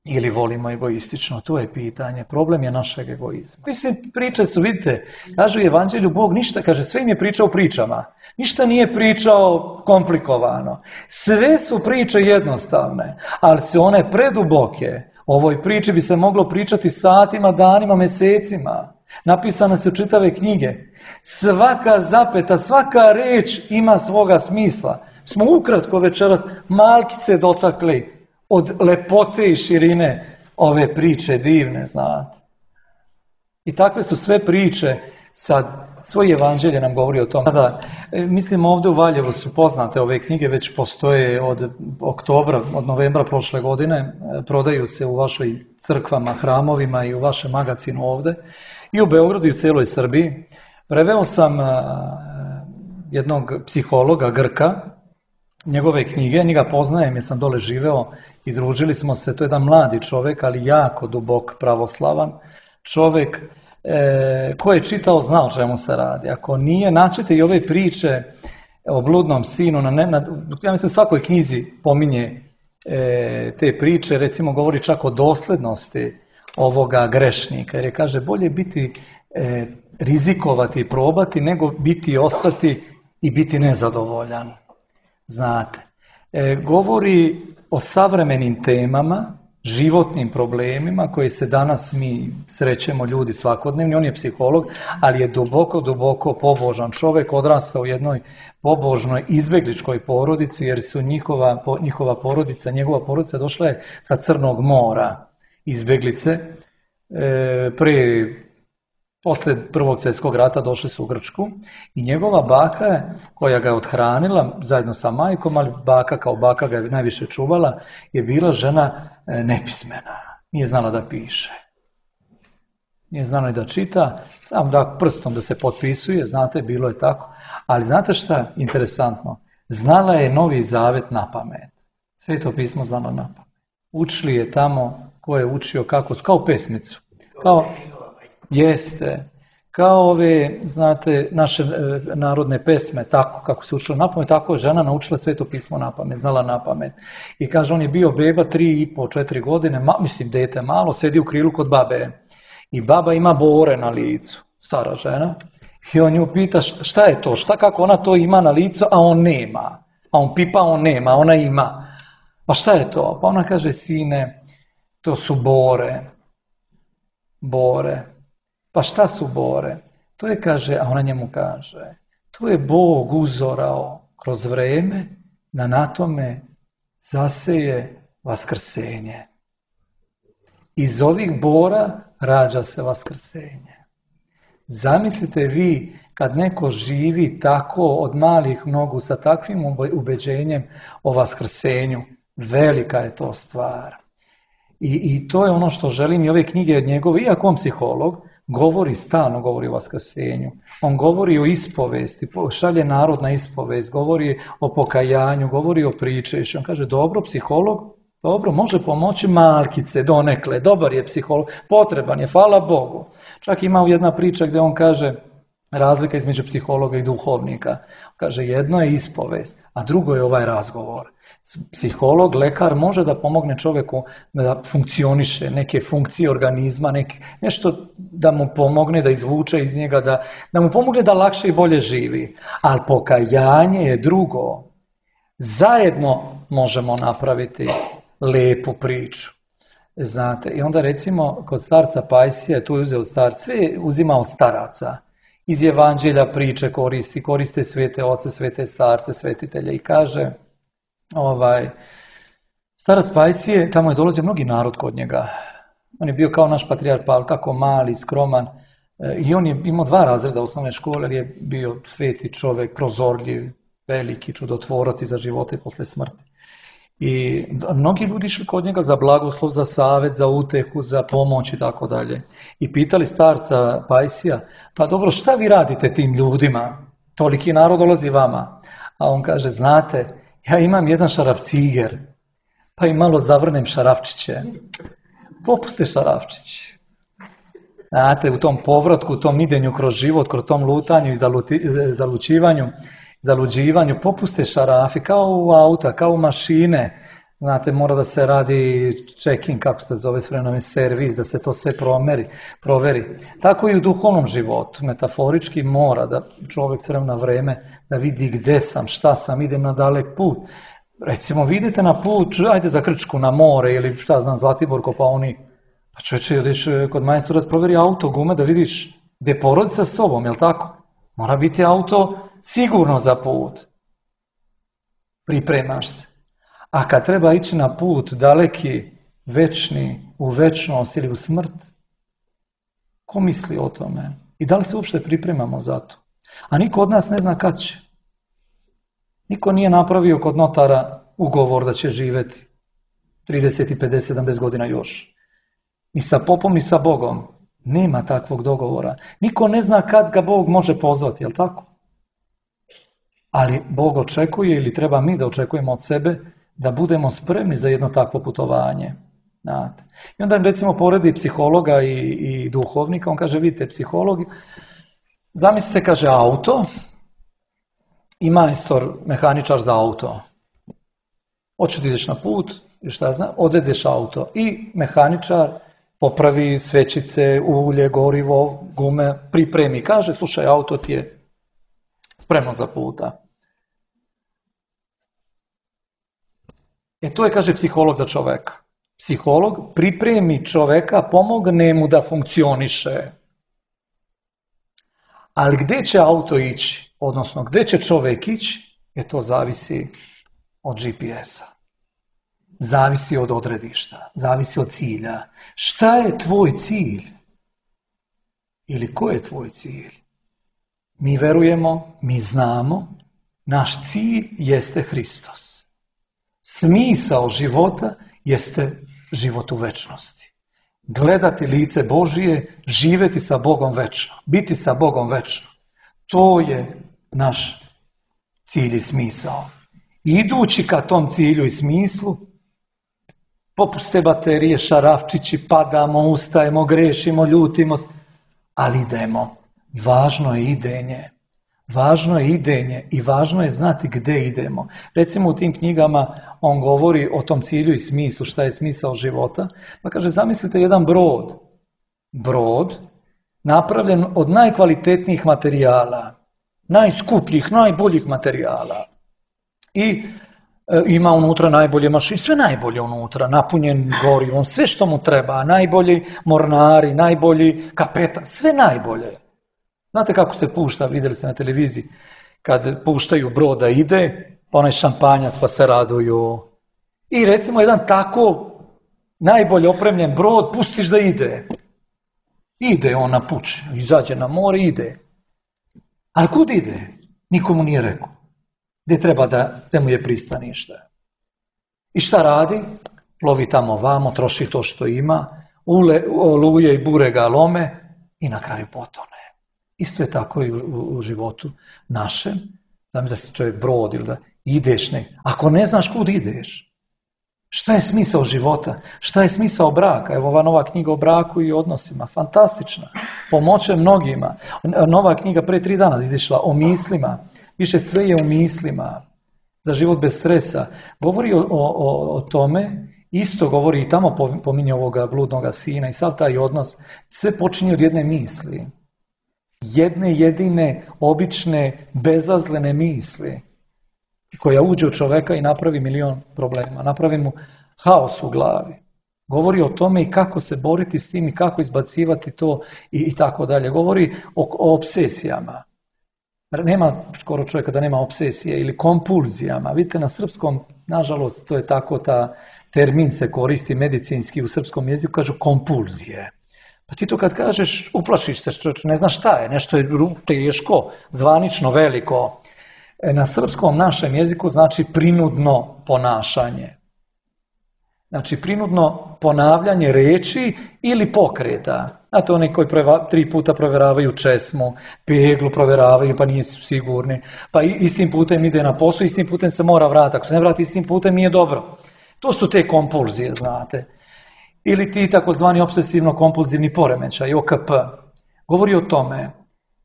ili volimo egoistično? To je pitanje. Problem je našeg egoizma. Mislim, priče su, vidite, kaže u Evanđelju Bog ništa, kaže, sve im je pričao pričama. Ništa nije pričao komplikovano. Sve su priče jednostavne, ali su one preduboke. O ovoj priči bi se moglo pričati satima, danima, mesecima. Napisane su čitave knjige. Svaka zapeta, svaka reč ima svoga smisla. Smo ukratko večeras malkice dotakli od lepote i širine ove priče divne, znate. I takve su sve priče, sad, svoje evanđelje nam govori o tom. Da, mislim, ovdje u Valjevu su poznate ove knjige, već postoje od oktobra, od novembra prošle godine, prodaju se u vašoj crkvama, hramovima i u vašem magazinu ovdje, i u Beogradu i u cijeloj Srbiji. Preveo sam jednog psihologa, Grka, njegove knjige, njega poznajem jer sam dole živeo i družili smo se. To je jedan mladi čovjek, ali jako dubok pravoslavan čovjek, e, ko je čitao zna o čemu se radi. Ako nije, naćete i ove priče o bludnom sinu, na, na, ja mislim u svakoj knjizi pominje e, te priče, recimo govori čak o doslednosti ovoga grešnika, jer je, kaže, bolje biti e, rizikovati i probati nego biti i ostati i biti nezadovoljan. Znate, e, govori o savremenim temama, životnim problemima koje se danas mi srećemo ljudi svakodnevni. On je psiholog, ali je duboko, duboko pobožan čovjek, odrastao u jednoj pobožnoj izbjegličkoj porodici, jer su njihova, po, njihova porodica, njegova porodica došla je sa Crnog mora, izbjeglice, e, prije Posle Prvog svjetskog rata došli su u Grčku i njegova baka, koja ga je othranila zajedno sa majkom, ali baka kao baka ga je najviše čuvala, je bila žena nepismena. Nije znala da piše. Nije znala i da čita, tam da prstom da se potpisuje, znate, bilo je tako. Ali znate šta? Interesantno. Znala je Novi Zavet na pamet. Sveto pismo znala na pamet. Učili je tamo ko je učio kako, kao pesmicu. Kao... Jeste, kao ove, znate, naše e, narodne pesme, tako kako se učila na pamet, tako je žena naučila Sveto pismo na pamet, znala na pamet. I kaže, on je bio beba tri i po, četiri godine, ma, mislim, dete malo, sedi u krilu kod babe. I baba ima bore na licu, stara žena. I on nju pita šta je to, šta kako ona to ima na licu, a on nema. A on pipa, on nema, ona ima. Pa šta je to? Pa ona kaže, sine, to su bore. Bore. Pa šta su bore? To je, kaže, a ona njemu kaže, to je Bog uzorao kroz vreme da na tome zaseje vaskrsenje. Iz ovih bora rađa se vaskrsenje. Zamislite vi kad neko živi tako od malih nogu sa takvim ubeđenjem o vaskrsenju, velika je to stvar. I, i to je ono što želim i ove knjige od njegove, iako on psiholog, govori, stalno govori o vaskrsenju. On govori o ispovesti, šalje narod na ispovest, govori o pokajanju, govori o pričešću. On kaže, dobro, psiholog, dobro, može pomoći malkice, donekle, dobar je psiholog, potreban je, hvala Bogu. Čak ima jedna priča gdje on kaže, razlika između psihologa i duhovnika. Kaže, jedno je ispovest, a drugo je ovaj razgovor. Psiholog, lekar može da pomogne čovjeku da funkcioniše, neke funkcije organizma, neke, nešto da mu pomogne da izvuče iz njega, da, da mu pomogne da lakše i bolje živi. Ali pokajanje je drugo. Zajedno možemo napraviti lepu priču. Znate, i onda recimo kod starca Pajsija, tu je uzeo star, sve uzima od staraca. Iz evanđelja priče koristi, koriste svete oce, svete starce, svetitelje i kaže... Ovaj, starac Pajsije, tamo je dolazio mnogi narod kod njega. On je bio kao naš patrijarh Pavle, tako mali, skroman. E, I on je imao dva razreda osnovne škole, jer je bio sveti čovjek, prozorljiv, veliki, čudotvorac iza života i posle smrti. I mnogi ljudi išli kod njega za blagoslov, za savjet, za utehu, za pomoć i tako dalje. I pitali starca Pajsija, pa dobro, šta vi radite tim ljudima? Toliki narod dolazi vama. A on kaže, znate, ja imam jedan šarafciger, pa i malo zavrnem šarafčiće. Popuste šarafčići. Znate, u tom povratku, u tom idenju kroz život, kroz tom lutanju i zaluti, zalučivanju, zaluđivanju, popuste šarafi, kao u auta, kao u mašine. Znate, mora da se radi check-in, kako se to zove s vremenom, servis, da se to sve promeri, proveri. Tako i u duhovnom životu, metaforički mora da čovjek s vremena vreme da vidi gde sam, šta sam, idem na dalek put. Recimo, vidite na put, ajde za Krčku, na more ili šta znam, Zlatibor, Kopaonik. Pa čovječe, ideš kod majstora da proveri auto, gume, da vidiš gde je porodica s tobom, jel tako? Mora biti auto sigurno za put. Pripremaš se. A kad treba ići na put daleki, večni, u večnost ili u smrt, ko misli o tome? I da li se uopšte pripremamo za to? A niko od nas ne zna kad će. Niko nije napravio kod notara ugovor da će živjeti trideset, pedeset, sedamdeset godina još. Ni sa popom, ni sa Bogom. Nema takvog dogovora. Niko ne zna kad ga Bog može pozvati, jel tako? Ali Bog očekuje, ili treba mi da očekujemo od sebe, da budemo spremni za jedno takvo putovanje. Znate. I onda recimo poredi psihologa i, i duhovnika, on kaže, vidite, psiholog, zamislite, kaže, auto i majstor, mehaničar za auto. Hoćeš da ideš na put, i šta ja znam, odvezeš auto i mehaničar popravi svećice, ulje, gorivo, gume, pripremi. Kaže, slušaj, auto ti je spremno za puta. E to je, kaže, psiholog za čoveka. Psiholog pripremi čoveka, pomogne mu da funkcioniše. Ali gde će auto ići, odnosno gde će čovek ići, e to zavisi od G P S-a. Zavisi od odredišta, zavisi od cilja. Šta je tvoj cilj? Ili ko je tvoj cilj? Mi verujemo, mi znamo, naš cilj jeste Hristos. Smisao života jeste život u večnosti. Gledati lice Božije, živjeti sa Bogom večno, biti sa Bogom večno. To je naš cilj i smisao. Idući ka tom cilju i smislu, popuste baterije, šarafčići, padamo, ustajemo, grešimo, ljutimo, ali idemo. Važno je idenje. Važno je idenje i važno je znati gde idemo. Recimo u tim knjigama on govori o tom cilju i smislu, šta je smisao života. Pa kaže, zamislite jedan brod. Brod napravljen od najkvalitetnijih materijala, najskupljih, najboljih materijala. I e, ima unutra najbolje mašine, sve najbolje unutra, napunjen gorivom, sve što mu treba, najbolji mornari, najbolji kapetan, sve najbolje. Znate kako se pušta, vidjeli ste na televiziji, kad puštaju brod da ide, pa onaj šampanjac pa se raduju. I recimo jedan tako najbolje opremljen brod pustiš da ide. Ide on na puč, izađe na more, ide. Ali kud ide? Nikomu nije rekao. Gdje treba da, da mu je pristanište. I šta radi? Plovi tamo vamo, troši to što ima, ule, oluje i bure ga lome i na kraju potone. Isto je tako i u, u, u životu našem. Znam da si čovjek brod ili da ideš ne. Ako ne znaš kud ideš, šta je smisao života? Šta je smisao braka? Evo ova nova knjiga o braku i odnosima. Fantastična. Pomoće mnogima. Nova knjiga pre tri dana izišla o mislima. Više sve je u mislima. Za život bez stresa. Govori o, o, o tome. Isto govori i tamo pominje ovoga bludnoga sina i sav taj odnos. Sve počinje od jedne misli. Jedne jedine, obične, bezazlene misli koja uđe u čoveka i napravi milion problema. Napravi mu haos u glavi. Govori o tome i kako se boriti s tim i kako izbacivati to i, i tako dalje. Govori o, o obsesijama. Nema skoro čovjeka da nema obsesije ili kompulzijama. Vidite, na srpskom, nažalost, to je tako, ta termin se koristi medicinski u srpskom jeziku, kažu kompulzije. Pa ti to kad kažeš, uplašiš se, ne znaš šta je, nešto je teško, zvanično, veliko. Na srpskom našem jeziku znači prinudno ponašanje. Znači, prinudno ponavljanje reči ili pokreta. Znate, oni koji provjera, tri puta provjeravaju česmu, peglu provjeravaju pa nisu sigurni, pa istim putem ide na posao, istim putem se mora vratiti. Ako se ne vrati istim putem, nije dobro. To su te kompulzije, znate. Ili ti takozvani obsesivno-kompulzivni poremećaj, O K P. Govori o tome.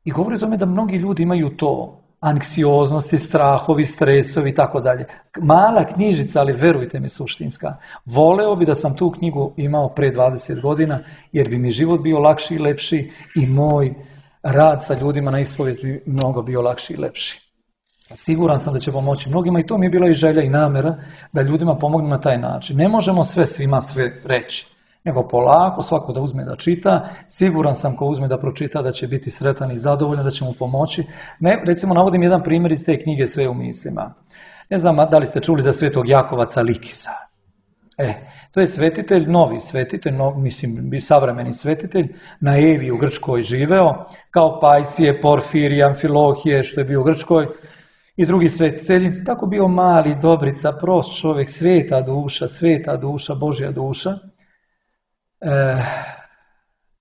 I govori o tome da mnogi ljudi imaju to. Anksioznosti, strahovi, stresovi i tako dalje. Mala knjižica, ali verujte mi, suštinska. Voleo bi da sam tu knjigu imao pre dvadeset godina, jer bi mi život bio lakši i lepši i moj rad sa ljudima na ispovijest bi mnogo bio lakši i lepši. Siguran sam da će pomoći mnogima i to mi je bila i želja i namjera da ljudima pomognem na taj način. Ne možemo sve svima sve reći, nego polako svako da uzme da čita. Siguran sam ko uzme da pročita da će biti sretan i zadovoljan, da će mu pomoći. Ne, recimo navodim jedan primjer iz te knjige Sve u mislima. Ne znam da li ste čuli za svetog Jakova Calikisa. E, to je svetitelj, novi svetitelj, no, mislim savremeni svetitelj, na Evi u Grčkoj živeo, kao Pajsije, Porfirije, Amfilohije, što je bio u Grčkoj, i drugi svetitelji. Tako bio mali, dobrica, prost čovjek, sveta duša, sveta duša, Božja duša. E,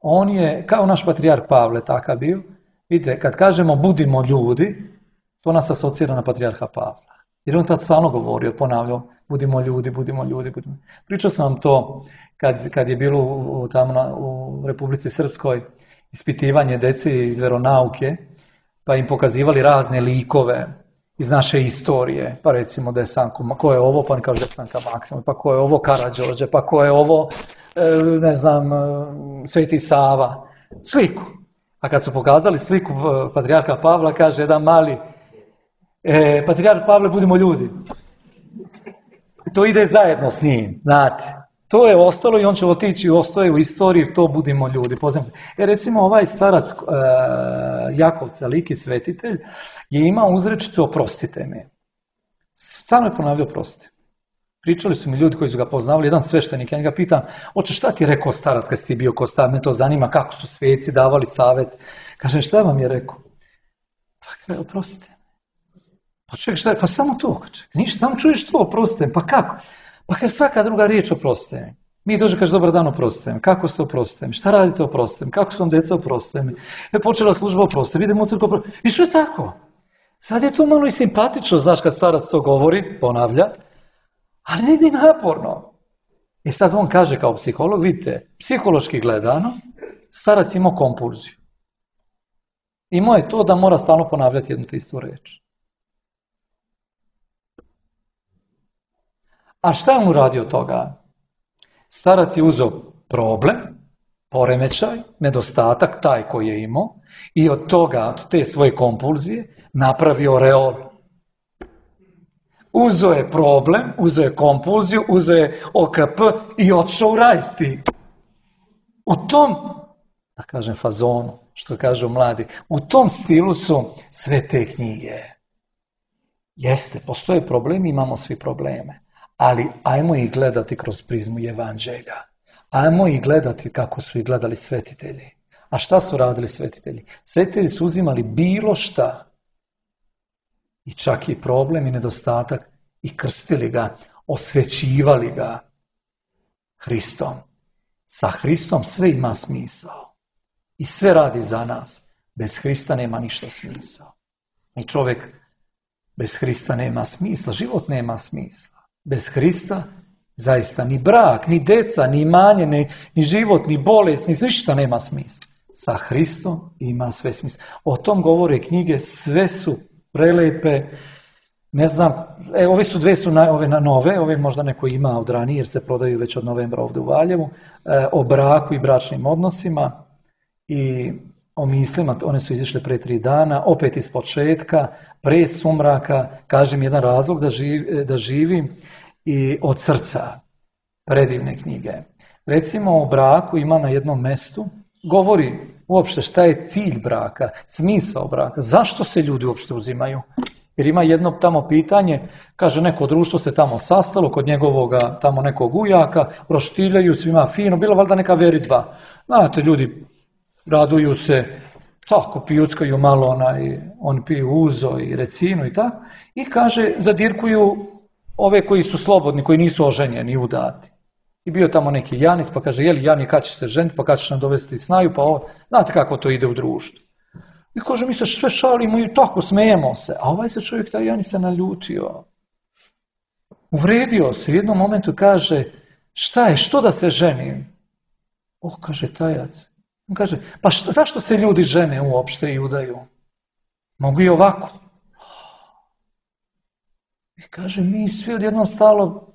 on je, kao naš patrijarh Pavle takav bio. Vidite, kad kažemo budimo ljudi, to nas asocira na patrijarha Pavla. Jer on tad stalno govorio, ponavljao, budimo ljudi, budimo ljudi, budimo. Pričao sam vam to kad, kad je bilo u, tamo na, u Republici Srpskoj ispitivanje dece iz veronauke, pa im pokazivali razne likove iz naše istorije, pa recimo Desanko, ko je ovo, pa on kaže Desanka Maksimov, pa ko je ovo Karađorđe, pa ko je ovo, ne znam, Sveti Sava, sliku. A kad su pokazali sliku patrijarha Pavla, kaže jedan mali, e, patrijarh Pavle, budimo ljudi. To ide zajedno s njim, znate. To je ostalo i on će otići, ostaje u istoriji, to budimo ljudi. E, recimo ovaj starac e, Jakov Caliki, svetitelj, je imao uzrečicu oprostite mi. Stalno je ponavljao oprostite. Pričali su mi ljudi koji su ga poznavali, jedan sveštenik, ja njega pitam, oče, šta ti je rekao starac kad si ti bio ko starac, me to zanima, kako su sveci davali savjet. Kažem, šta vam je rekao? Pa kaže, oprostite. Pa čovjek, šta je? Pa samo to, čovjek. Ništa, samo čuješ to, oprostite. Pa kako? Pa kaže, svaka druga riječ oprostite mi. Mi dođe, kaže, dobar dan, oprostite mi. Kako ste oprostite mi? Šta radite oprostite mi? Kako su vam djeca oprostite mi? E, počela služba oprostite mi. Idemo u crkvu oprostite mi. I sve tako. Sad je to malo i simpatično, znaš, kad starac to govori, ponavlja, ali ne ide naporno. I sad on kaže kao psiholog, vidite, psihološki gledano, starac imao kompulziju. Imao je to da mora stalno ponavljati jednu te istu reč. A šta je on uradio od toga? Starac je uzeo problem, poremećaj, nedostatak, taj koji je imao, i od toga, od te svoje kompulzije, napravio reol. Uzeo je problem, uzeo je kompulziju, uzeo je O K P i otišao u rajsti. U tom, da kažem fazonu, što kažu mladi, u tom stilu su sve te knjige. Jeste, postoje problemi, imamo svi probleme. Ali ajmo ih gledati kroz prizmu evanđelja. Ajmo ih gledati kako su ih gledali svetitelji. A šta su radili svetitelji? Svetitelji su uzimali bilo šta, i čak i problem i nedostatak, i krstili ga, osvećivali ga Hristom. Sa Hristom sve ima smisao. I sve radi za nas. Bez Hrista nema ništa smisao. I čovjek bez Hrista nema smisla, život nema smisla. Bez Hrista zaista ni brak, ni deca, ni imanje, ni, ni život, ni bolest, ni ništa nema smisla. Sa Hristom ima sve smisla. O tom govore knjige, sve su prelepe. Ne znam, e, ove su dve su na, ove na nove, ove možda neko ima od ranije jer se prodaju već od novembra ovdje u Valjevu, e, o braku i bračnim odnosima i o mislima, one su izišle pre tri dana, opet iz početka, pre sumraka, kažem jedan razlog da, živ, da živim, i od srca, predivne knjige. Recimo o braku ima na jednom mestu, govori uopšte šta je cilj braka, smisao braka, zašto se ljudi uopšte uzimaju. Jer ima jedno tamo pitanje, kaže neko društvo se tamo sastalo kod njegovoga tamo nekog ujaka, roštiljaju svima fino, bilo valjda neka veritba. Znate, ljudi raduju se, tako pijuckaju malo, onaj, oni piju uzo i recinu i tako, i kaže zadirkuju ove koji su slobodni, koji nisu oženjeni, udati. I bio tamo neki Janis, pa kaže, jeli Jani, kad će se ženiti, pa kad ćeš nam dovesti snaju, pa ovo, znate kako to ide u društvu. I kaže, mi se sve šalimo i tako smijemo se. A ovaj se čovjek, taj Janis se naljutio. Uvredio se. U jednom momentu kaže, šta je, što da se ženim? Oh, kaže tajac. On kaže, pa šta, zašto se ljudi žene uopšte i udaju? Mogu i ovako. I kaže, mi svi odjednom stalo,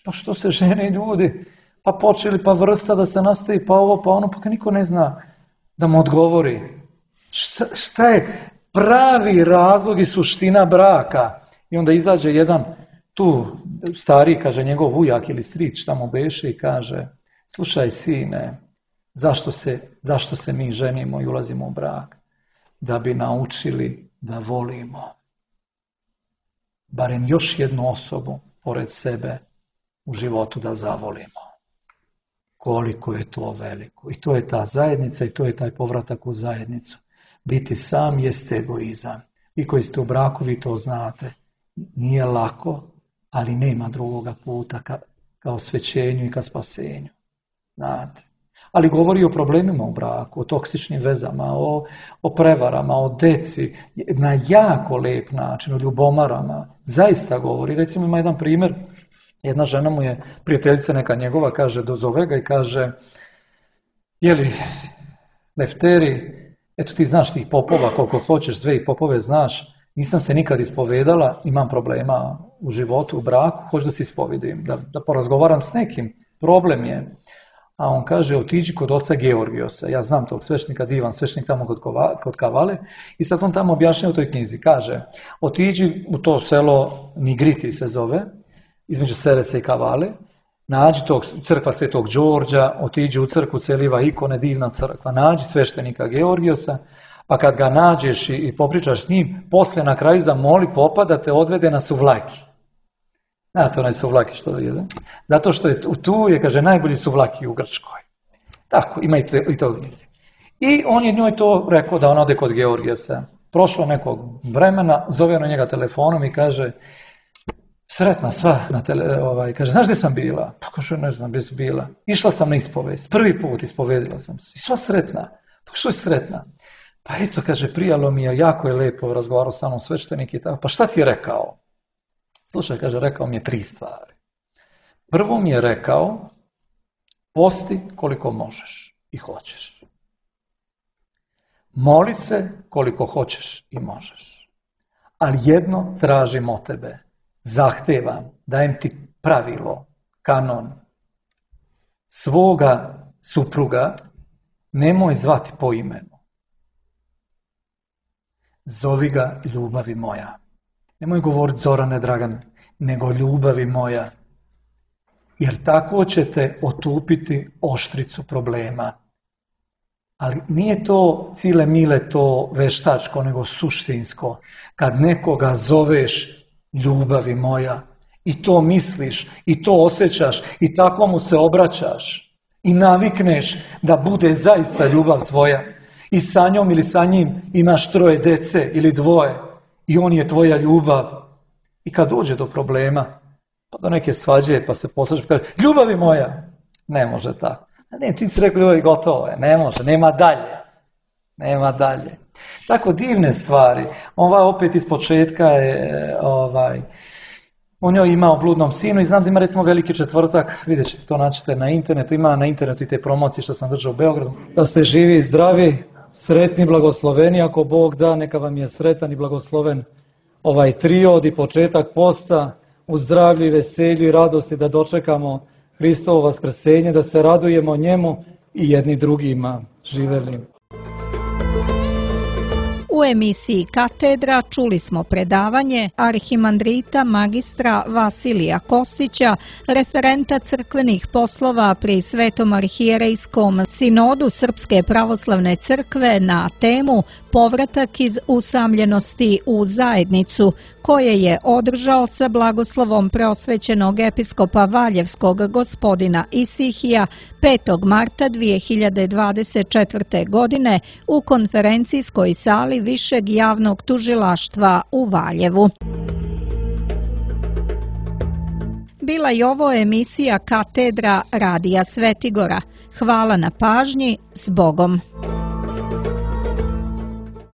pa što se žene ljudi? Pa počeli, pa vrsta da se nastavi, pa ovo, pa ono, pa niko ne zna da mu odgovori. Šta, šta je pravi razlog i suština braka? I onda izađe jedan tu stariji, kaže njegov ujak ili stric, šta mu beše i kaže, slušaj sine, zašto se, zašto se mi ženimo i ulazimo u brak? Da bi naučili da volimo. Barem još jednu osobu pored sebe u životu da zavolimo. Koliko je to veliko. I to je ta zajednica i to je taj povratak u zajednicu. Biti sam jeste egoizam. Vi koji ste u braku, vi to znate. Nije lako, ali nema drugoga puta ka, ka osvećenju i ka spasenju. Znate. Ali govori o problemima u braku, o toksičnim vezama, o, o prevarama, o deci, na jako lep način, o ljubomarama. Zaista govori. Recimo ima jedan primjer, jedna žena mu je, prijateljica neka njegova, kaže, dozove ga i kaže, jeli, Lefteri, eto ti znaš tih popova koliko hoćeš, sve i popove znaš, nisam se nikad ispovedala, imam problema u životu, u braku, hoću da se ispovedim, da, da porazgovaram s nekim, problem je. A on kaže, otiđi kod oca Georgijosa, ja znam tog svešnika, divan svešnik tamo kod, kova, kod Kavale, i sad on tamo objašnjava u toj knjizi, kaže, otiđi u to selo Nigriti se zove, između Seresa i Kavale, nađi tog crkva Svetog Đorđa, otiđi u crkvu, celiva ikone, divna crkva, nađi sveštenika Georgijosa, pa kad ga nađeš i, i popričaš s njim, posle na kraju zamoli popa da te odvede na suvlaki. Znate onaj suvlaki što jede? Zato što je tu, je, kaže, najbolji suvlaki u Grčkoj. Tako, ima i to, i to gnjizi. I on je njoj to rekao da ona ode kod Georgijosa. Prošlo nekog vremena, zove na njega telefonom i kaže, sretna sva na tele, ovaj, kaže, znaš gdje sam bila? Pa kaže, ne znam gdje si bila. Išla sam na ispovest, prvi put ispovedila sam se. I sva sretna. Pa što je sretna? Pa eto, kaže, prijalo mi je, jako je lepo, razgovarao sa mnom sveštenik i tako. Pa šta ti je rekao? Slušaj, kaže, rekao mi je tri stvari. Prvo mi je rekao, posti koliko možeš i hoćeš. Moli se koliko hoćeš i možeš. Ali jedno tražim od tebe. Zahtevam, dajem ti pravilo, kanon. Svoga supruga nemoj zvati po imenu. Zovi ga ljubavi moja. Nemoj govoriti Zorane Dragane, nego ljubavi moja. Jer tako ćete otupiti oštricu problema. Ali nije to cile mile to veštačko, nego suštinsko. Kad nekoga zoveš ljubavi moja i to misliš i to osjećaš i tako mu se obraćaš i navikneš da bude zaista ljubav tvoja i sa njom ili sa njim imaš troje dece ili dvoje i on je tvoja ljubav. I kad dođe do problema, pa do neke svađe, pa se poslušaš, pa kaže, ljubavi moja, ne može tako. Ne, čim si rekao ljubavi, gotovo je, ne može, nema dalje. Nema dalje. Tako divne stvari. Ova opet iz početka je, ovaj, on joj ima o bludnom sinu i znam da ima recimo Veliki četvrtak, vidjet ćete to, naćete na internetu, ima na internetu i te promocije što sam držao u Beogradu. Da ste živi i zdravi, sretni, blagosloveni, ako Bog da, neka vam je sretan i blagosloven ovaj triod i početak posta, u zdravlju i veselju i radosti da dočekamo Hristovo vaskrsenje, da se radujemo njemu i jedni drugima. Živeli. U emisiji Katedra čuli smo predavanje arhimandrita magistra Vasilija Kostića, referenta crkvenih poslova pri Svetom arhijerejskom sinodu Srpske pravoslavne crkve na temu Povratak iz usamljenosti u zajednicu, koje je održao sa blagoslovom preosvećenog episkopa Valjevskog gospodina Isihija petog marta dvije hiljade dvadeset četvrte. godine u konferencijskoj sali Višeg javnog tužilaštva u Valjevu. bila je ovo emisija Katedra Radija Svetigora. Hvala na pažnji, s Bogom.